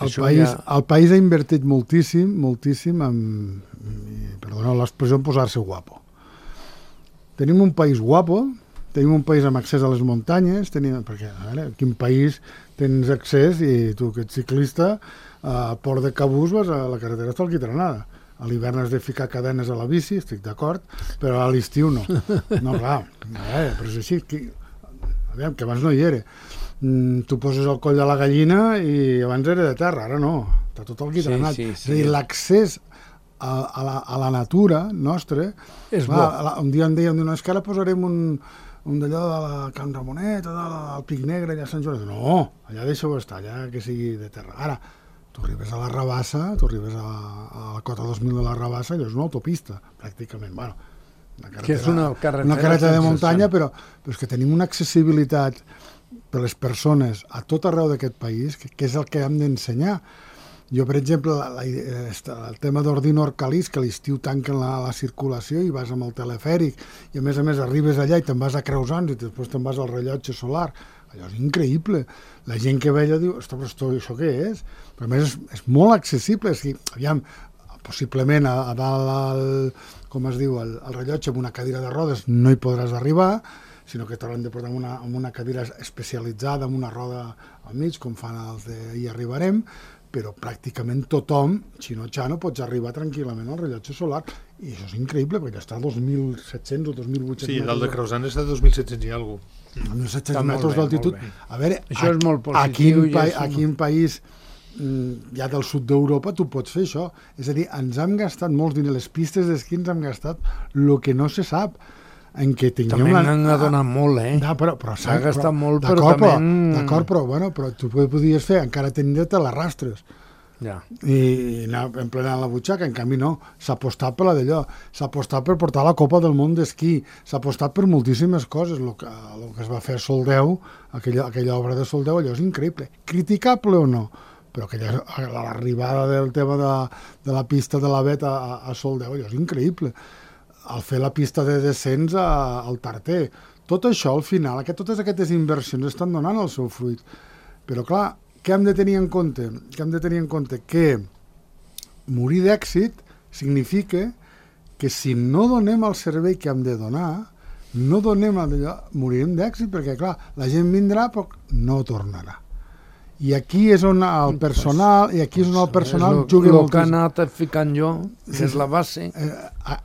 S4: el país, ja... el país ha invertit moltíssim, moltíssim en, perdoneu l'expressió, en posar-se guapo. Tenim un país guapo, tenim un país amb accés a les muntanyes, tenim, perquè, a veure, quin país tens accés i tu que ets ciclista, a Port de Cabús vas a la carretera hasta el Quitranada. A l'hivern has de ficar cadenes a la bici, estic d'acord, però a l'estiu no. No, clar, eh, però és així. Que, aviam, que abans no hi era. Mm, tu poses el coll de la gallina i abans era de terra, ara no. Està tot el quitranat. Sí, sí, sí. És a dir, l'accés a, a, la, a la natura nostra... És clar, bo. La, un dia em deien, no, és que ara posarem un, un d'allò de la Can Ramonet o del Pic Negre allà a Sant Joan. No, allà deixeu estar, allà que sigui de terra. Ara, tu arribes a la Rabassa, tu arribes a, a la cota dos mil de la Rabassa, allò és una autopista, pràcticament. Bueno, una carretera,
S3: que és una carretera,
S4: una carretera de muntanya, però, però és que tenim una accessibilitat per les persones a tot arreu d'aquest país, que, que és el que hem d'ensenyar. Jo, per exemple, la, la, el tema d'Ordino Orcalís, que a l'estiu tanquen la, la circulació i vas amb el telefèric, i a més a més arribes allà i te'n vas a Creusans i després te'n vas al rellotge solar. Allò és increïble. La gent que ve allà diu, ostres, però això què és? Però a més és, és molt accessible. És que, aviam, possiblement a, a dalt, el, com es diu, el, el rellotge amb una cadira de rodes no hi podràs arribar, sinó que t'hauran de portar amb una, amb una cadira especialitzada, amb una roda al mig, com fan els de Hi arribarem, però pràcticament tothom, xino-xano, pots arribar tranquil·lament al rellotge solar, i això és increïble, perquè està a dos mil set-cents o dos mil vuit-cents
S2: sí,
S4: metres.
S2: Sí, dalt de Creusans està a dos mil set-cents i alguna cosa.
S4: dos mil set-cents metres d'altitud. A veure,
S3: això és molt positiu.
S4: Aquí en, pa aquí en país ja del sud d'Europa tu pots fer això. És a dir, ens hem gastat molts diners, les pistes d'esquí ens hem gastat el que no se sap. En què
S3: també una... n'han donat molt, eh?
S4: No, però, però
S3: s'ha gastat molt, però també...
S4: D'acord, però, bueno, però tu podies fer, encara tindre-te les rastres.
S3: Ja.
S4: I anar emplenant la butxaca, en canvi no, s'ha apostat per la d'allò, s'ha apostat per portar la Copa del Món d'esquí, s'ha apostat per moltíssimes coses, el que, el que es va fer a Soldeu, aquella, aquella obra de Soldeu, allò és increïble, criticable o no, però aquella, l'arribada del tema de, de la pista de la Bet a, a Soldeu, allò és increïble, al fer la pista de descens a, al Tarter, tot això al final, que totes aquestes inversions estan donant el seu fruit, però clar, què hem de tenir en compte? Què hem de tenir en compte? Que morir d'èxit significa que si no donem el servei que hem de donar, no donem allò, morirem d'èxit, perquè clar, la gent vindrà però no tornarà. I aquí és on el personal, i aquí és on el personal juga
S3: molt. El que ha anat ficant jo, és la base.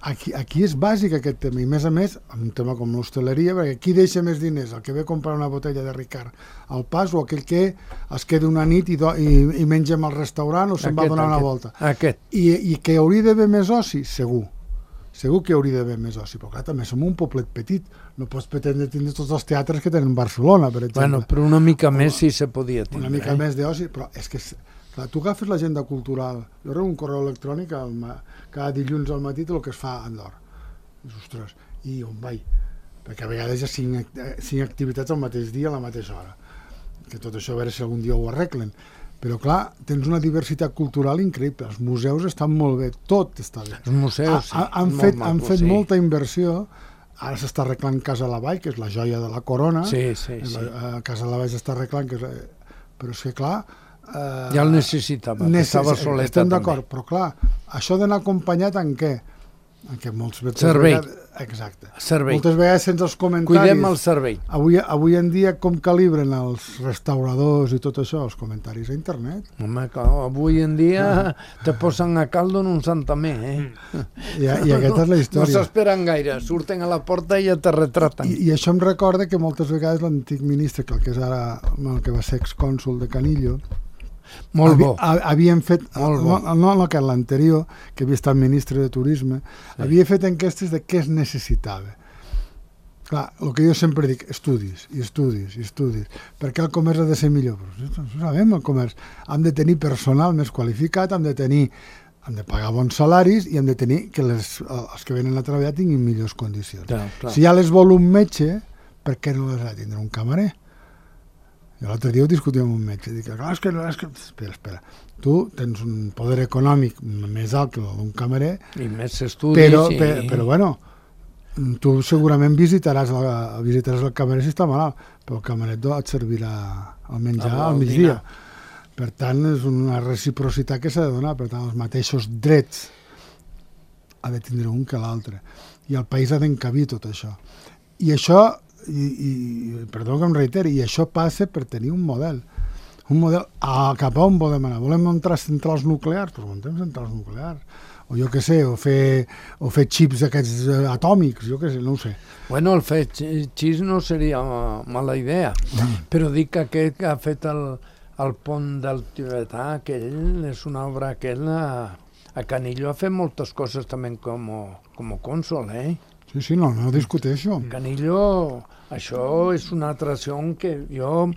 S4: Aquí, aquí és bàsic aquest tema, i més a més, un tema com l'hostaleria, perquè qui deixa més diners? El que ve a comprar una botella de Ricard al pas o aquell que es queda una nit i, do, i, i menja al restaurant o se'n va a donar
S3: aquest,
S4: una volta.
S3: Aquest.
S4: I, I que hauria d'haver més oci? Segur. Segur que hauria d'haver més oci, però clar, també som un poblet petit, no pots pretendre tindre tots els teatres que tenen Barcelona, per exemple.
S3: Bueno, però una mica o, més sí se podia tindre.
S4: Una mica
S3: eh?
S4: més d'oci, però és que, clar, tu agafes l'agenda cultural, jo rebo un correu electrònic al, cada dilluns al matí el que es fa a Andorra. I, ostres, i on vaig? Perquè a vegades hi ha cinc, cinc activitats al mateix dia, a la mateixa hora. Que tot això a veure si algun dia ho arreglen. Però, clar, tens una diversitat cultural increïble. Els museus estan molt bé, tot està bé.
S3: Els museus, sí.
S4: Ha, han fet, han fet molta inversió ara s'està arreglant Casa Lavall, que és la joia de la corona.
S3: Sí, sí, sí.
S4: La, Casa Lavall s'està arreglant, que és, però és que, clar... Eh,
S3: ja el necessitava,
S4: necess...
S3: estava soleta
S4: estem
S3: també.
S4: d'acord, però clar, això d'anar acompanyat en què? En què molts
S3: servei.
S4: Vegades... Exacte.
S3: Servei.
S4: Moltes vegades sense els comentaris...
S3: Cuidem el servei.
S4: Avui, avui en dia com calibren els restauradors i tot això, els comentaris a internet?
S3: Home, avui en dia ah. te posen a caldo en un santamer, eh?
S4: I, i aquesta és la història.
S3: No s'esperen gaire, surten a la porta i ja te retraten.
S4: I, I això em recorda que moltes vegades l'antic ministre, que el que és ara, el que va ser excònsol de Canillo,
S3: molt bo.
S4: Havia, havien fet,
S3: molt bo.
S4: no, no, no que l'anterior, que havia estat ministre de Turisme, sí. havia fet enquestes de què es necessitava. Clar, el que jo sempre dic, estudis, i estudis, i estudis, perquè el comerç ha de ser millor. Però no sabem, el comerç. Hem de tenir personal més qualificat, hem de tenir, hem de pagar bons salaris i hem de tenir que les, els que venen a treballar tinguin millors condicions.
S3: Clar, clar.
S4: Si ja les vol un metge, per què no les ha de tindre un camarer? Jo l'altre dia ho discutíem amb un metge, dic, clar, és que, és que... Espera, espera, tu tens un poder econòmic més alt que el d'un camarer,
S3: i més estudis,
S4: però,
S3: i...
S4: però, però bueno, tu segurament visitaràs el, visitaràs el camarer si està malalt, però el camarer et servirà el menjar al migdia. Per tant, és una reciprocitat que s'ha de donar, per tant, els mateixos drets ha de tindre un que l'altre. I el país ha d'encabir tot això. I això... I, i perdó que em reiteri, i això passa per tenir un model un model a, cap a on volem anar. Volem entrar centrals nuclears, però muntem centrals nuclears, o jo què sé, o fer, o fer xips aquests atòmics, jo què sé, no ho sé.
S3: Bueno, el fer xips no seria mala idea, mm. però dic que aquest que ha fet el, el pont del Tibetà, aquell és una obra aquell a, a Canillo ha fet moltes coses també com, com cònsol, eh?
S4: Sí, sí, no, no discuteixo.
S3: Canillo, això és una atracció que jo,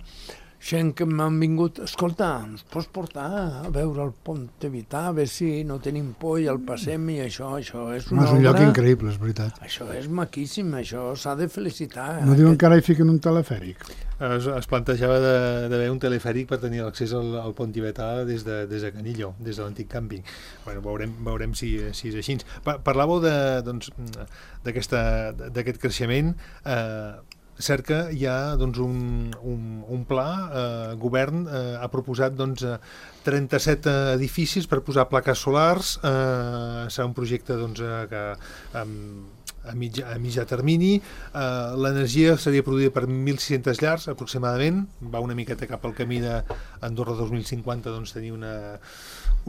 S3: gent que m'han vingut, escolta, ens pots portar a veure el pont Tibetà, a veure si no tenim por i el passem i això, això és una
S4: no, és un
S3: obra...
S4: lloc increïble, és veritat.
S3: Això és maquíssim, això s'ha de felicitar.
S4: No diuen aquest... que ara hi fiquen un telefèric?
S2: Es, es plantejava d'haver un telefèric per tenir l'accés al, al pont tibetà des de, des de Canillo, des de l'antic càmping. Bueno, veurem, veurem si, si és així. Parlàveu de, doncs, d'aquest creixement. Eh, cert que hi ha doncs, un, un, un pla, eh, el govern eh, ha proposat doncs, trenta-set edificis per posar plaques solars, eh, serà un projecte doncs, que amb a mitja, a mitja termini. Uh, l'energia seria produïda per mil sis-centes llars aproximadament, va una miqueta cap al camí d'Andorra dos mil cinquanta, doncs tenir una,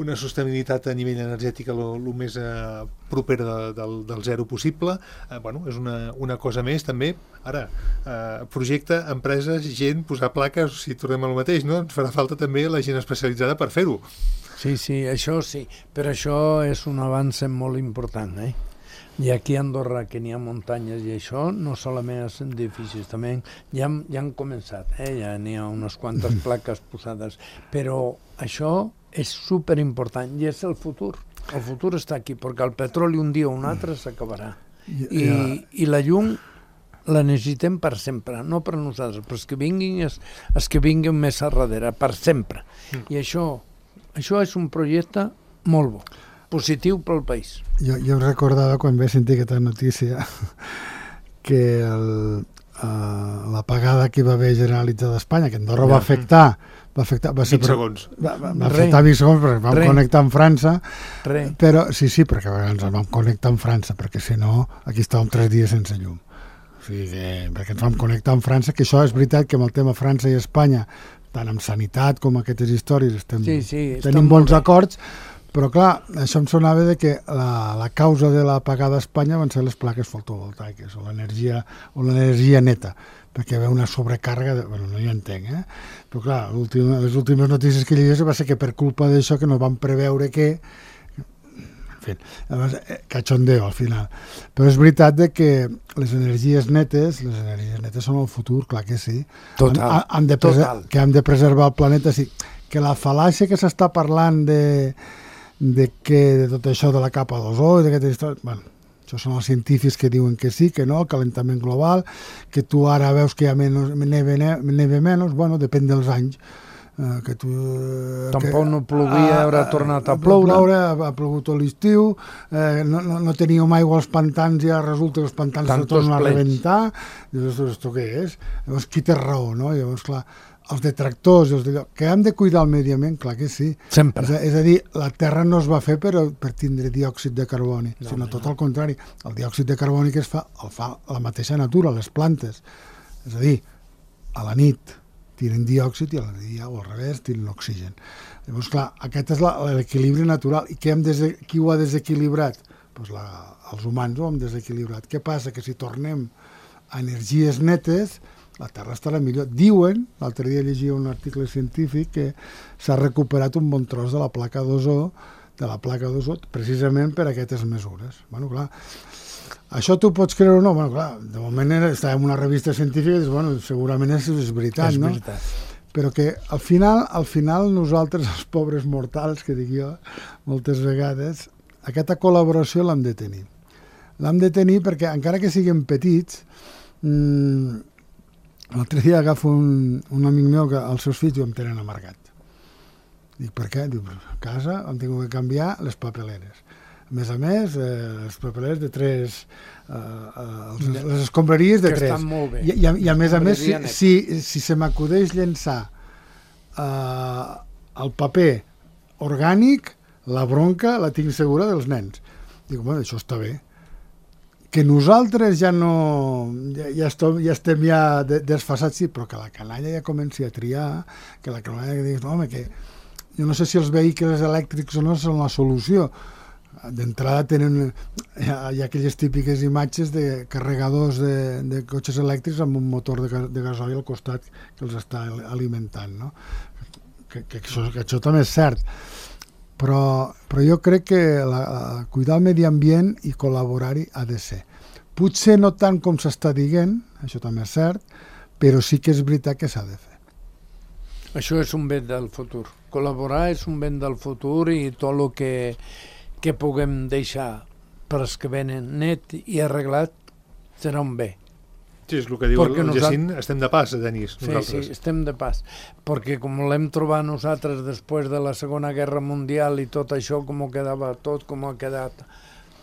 S2: una sostenibilitat a nivell energètic el més uh, proper de, del, del zero possible. Uh, bueno, és una, una cosa més també. Ara, uh, projecte, empreses, gent, posar plaques, si tornem al mateix, no? Ens farà falta també la gent especialitzada per fer-ho.
S3: Sí, sí, això sí, però això és un avanç molt important, eh? I aquí a Andorra, que n'hi ha muntanyes i això, no solament els edificis, també ja, ja han començat, eh? Ja n'hi ha unes quantes plaques posades, però això és superimportant i és el futur. El futur està aquí, perquè el petroli un dia o un altre s'acabarà. I, i la llum la necessitem per sempre, no per nosaltres, però els que vinguin, els, els que vinguin més a darrere, per sempre. I això, això és un projecte molt bo, positiu pel país.
S4: Jo, jo recordava quan vaig sentir aquesta notícia que el, uh, l'apagada que va haver generalitzada a Espanya, que Andorra ja. va afectar va afectar, va ser,
S2: vint segons
S4: va, va, va afectar vint segons perquè vam Re. connectar amb França
S3: Re.
S4: però sí, sí, perquè ens vam connectar amb França perquè si no, aquí estàvem tres dies sense llum, o sigui que, perquè ens vam connectar amb França, que això és veritat que amb el tema França i Espanya, tant amb sanitat com aquestes històries estem,
S3: sí, sí,
S4: tenim bons acords. Però clar, això em sonava de que la, la causa de l'apagada a Espanya van ser les plaques fotovoltaiques o l'energia o l'energia neta, perquè hi havia una sobrecàrrega, de, bueno, no hi entenc, eh? Però clar, les últimes notícies que llegies va ser que per culpa d'això que no van preveure que... En fi, cachondeo al final. Però és veritat de que les energies netes, les energies netes són el futur, clar que sí.
S3: Total,
S4: han, han de
S3: total.
S4: Que hem de preservar el planeta, sí. Que la fal·làcia que s'està parlant de... de que de tot això de la capa d'ozó i d'aquestes històries, bueno, això són els científics que diuen que sí, que no, el calentament global, que tu ara veus que hi ha menys, neve, neve menys, bueno, depèn dels anys. eh, que tu... Eh,
S3: Tampoc
S4: que,
S3: no plovia, haurà tornat a ploure.
S4: ploure ha, ha plogut tot l'estiu, eh, no, no, no teníem aigua als pantans, ja resulta que els pantans se tornen a rebentar. Llavors, esto què és? Llavors, qui té raó, no? Llavors, clar, els detractors, els de... que hem de cuidar el medi ambient, clar que sí.
S3: Sempre.
S4: És a, és a dir, la Terra no es va fer per, per tindre diòxid de carboni, no, sinó tot no. al contrari. El diòxid de carboni que es fa, el fa la mateixa natura, les plantes. És a dir, a la nit tiren diòxid i a la dia, o al revés, tiren l'oxigen. Llavors, clar, aquest és l'equilibri natural. I què hem des... qui ho ha desequilibrat? Pues la... els humans ho hem desequilibrat. Què passa? Que si tornem a energies netes, la Terra estarà millor. Diuen, l'altre dia llegia un article científic, que s'ha recuperat un bon tros de la placa d'ozó, de la placa d'ozó, precisament per aquestes mesures. Bueno, clar, això tu pots creure o no? Bueno, clar, de moment està en una revista científica i dius, bueno, segurament és, és veritat,
S3: és
S4: no?
S3: veritat.
S4: Però que al final, al final nosaltres, els pobres mortals, que dic jo, moltes vegades, aquesta col·laboració l'hem de tenir. L'hem de tenir perquè, encara que siguem petits, mmm, l'altre dia agafo un, un amic meu que els seus fills ho em tenen amargat. Dic, per què? Diu, a casa hem tingut que canviar les papeleres. A més a més, eh, les papeleres de tres, eh, eh, les escombraries de
S3: que
S4: tres.
S3: Estan molt bé.
S4: I, i, I a més a més, si, si, si se m'acudeix llençar eh, el paper orgànic, la bronca la tinc segura dels nens. Dic, bueno, això està bé. Que nosaltres ja no... Ja, ja, estem, ja estem ja desfasats, sí, però que la canalla ja comenci a triar, que la canalla que digui, no, home, que jo no sé si els vehicles elèctrics o no són la solució. D'entrada tenen hi ha, hi ha aquelles típiques imatges de carregadors de, de cotxes elèctrics amb un motor de, de gasoil al costat que els està alimentant, no? Que, que, això, que això també és cert, però, però jo crec que la, cuidar el medi ambient i col·laborar-hi ha de ser. Potser no tant com s'està dient, això també és cert, però sí que és veritat que s'ha de fer.
S3: Això és un bé del futur. Col·laborar és un bé del futur i tot el que que puguem deixar per als que venen net i arreglat serà un bé.
S2: Sí, és el que diu
S3: perquè
S2: el
S3: nosaltres...
S2: Jacint, estem de pas, Denis, nosaltres.
S3: Sí, sí, estem de pas, perquè com l'hem trobat nosaltres després de la Segona Guerra Mundial i tot això, com quedava tot, com ha quedat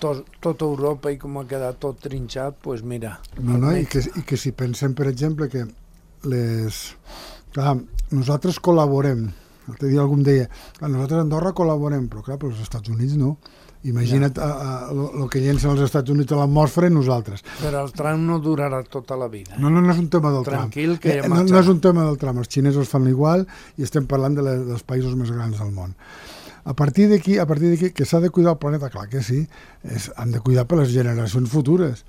S3: tot, tot Europa i com ha quedat tot trinxat, doncs pues mira.
S4: No, no, i que, i que si pensem, per exemple, que les... Clar, nosaltres col·laborem. L'altre dia algú em deia, nosaltres a Andorra col·laborem, però clar, però els Estats Units no. Imagina't el que llencen els Estats Units a l'atmosfera i nosaltres.
S3: Però el tram no durarà tota la vida. Eh?
S4: No, no, no és un tema del
S3: Tranquil,
S4: tram.
S3: que ja
S4: no, no és un tema del tram. Els xinesos fan igual i estem parlant de les, dels països més grans del món. A partir d'aquí, a partir d'aquí, que s'ha de cuidar el planeta, clar que sí, és, han de cuidar per les generacions futures,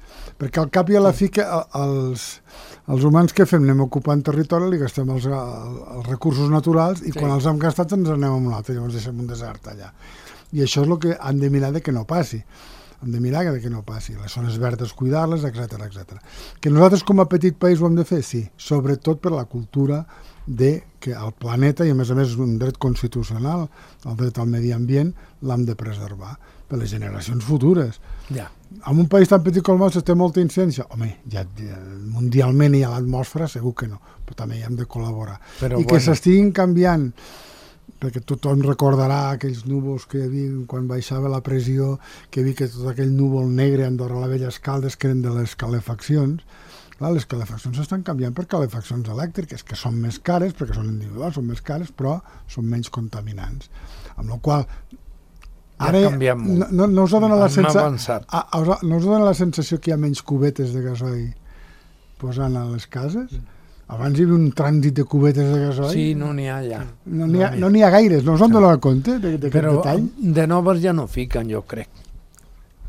S4: perquè al cap i a la fi que els, els humans que fem anem ocupant territori, li gastem els, els recursos naturals i sí. Quan els hem gastat ens anem a un altre, llavors deixem un desert allà. I això és el que han de mirar de que no passi. Hem de mirar de que no passi. Les zones verdes, cuidar-les, etcètera, etcètera. Que nosaltres com a petit país ho hem de fer? Sí, sobretot per la cultura de que el planeta, i a més a més és un dret constitucional, el dret al medi ambient, l'hem de preservar per les generacions futures.
S3: Ja.
S4: En un país tan petit com el nostre té molta incidència? Home, ja, ja mundialment i a l'atmosfera segur que no, però també hi hem de col·laborar. Però, I bueno. Que s'estiguin canviant, perquè tothom recordarà aquells núvols que hi havia quan baixava la pressió, que hi havia que tot aquell núvol negre a Andorra la Vella Escaldes, que eren de les calefaccions. Clar, les calefaccions estan canviant per calefaccions elèctriques, que són més cares, perquè són individuals, són més cares, però són menys contaminants. Amb la qual ara
S3: ja canviem molt.
S4: No, no us ha donat la sensació,
S3: avançat.
S4: no us ha donat la sensació que hi ha menys cubetes de gasoil posant a les cases? Abans hi havia un trànsit de cubetes de gasoil.
S3: Sí, no n'hi ha ja.
S4: No n'hi ha, no n'hi ha gaires, no us han donat compte d'aquest
S3: Però
S4: detall?
S3: De noves ja no fiquen, jo crec.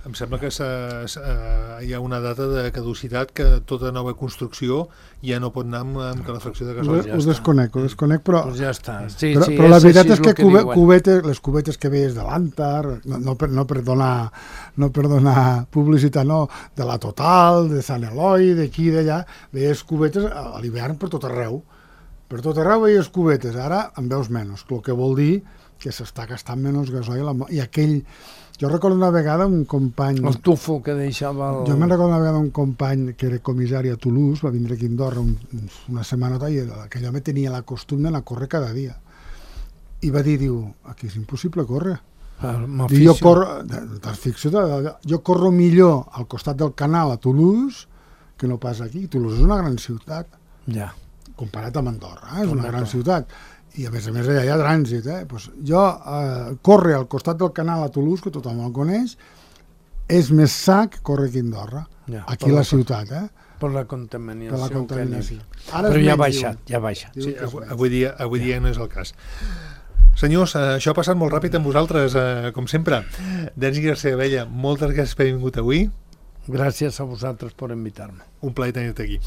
S2: Em sembla que hi ha una data de caducitat que tota nova construcció ja no pot anar amb, amb calefacció de gasoil.
S4: Ho, ja ho desconec, ho desconec, però...
S3: Pues ja està. Sí,
S4: però,
S3: sí,
S4: però la veritat és que,
S3: que
S4: cube, cubetes, les cubetes que veies de l'Antar, no, no, per, no, per donar, no per donar publicitat, no, de la Total, de Sant Eloi, d'aquí i d'allà, veies cubetes a l'hivern per tot arreu. Per tot arreu veies cubetes, ara en veus menys, el que vol dir que s'està gastant menys gasoil i aquell... Jo recordo una vegada un company...
S3: El tufo que deixava... El...
S4: Jo me'n recordo una vegada un company que era comissari a Toulouse, va vindre aquí a Andorra un, una setmanota i aquell home tenia la costum d'anar a córrer cada dia. i va dir, diu, aquí és impossible córrer.
S3: Diu,
S4: jo, corro, de, de ficció, de, jo corro millor al costat del canal a Toulouse que no pas aquí. Toulouse és una gran ciutat,
S3: ja.
S4: comparat amb Andorra, eh? És una gran ciutat. I a més a més allà hi ha trànsit. Eh? Pues jo eh, córrer al costat del canal a Toulouse, que tothom el coneix, és més sa que córrer aquí a Andorra, ja, aquí a la ciutat. Eh?
S3: Per la contaminació.
S4: Per la contaminació.
S3: Ara Però ja ha baixat, ja ha baixat.
S2: Sí, avui dia, avui dia no és el cas. Senyors, això ha passat molt ràpid amb vosaltres, eh, com sempre. Denis García Abella, moltes gràcies per haver vingut avui.
S3: Gràcies a vosaltres per invitar-me.
S2: Un plaer tenir-te aquí.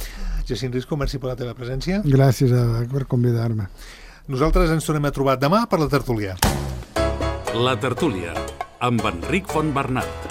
S2: Jacint Risco, merci per la teva presència.
S4: Gràcies a, per convidar-me.
S2: Nosaltres ens tornem a trobar demà per la tertúlia.
S1: La tertúlia, amb Enric Fontbernat.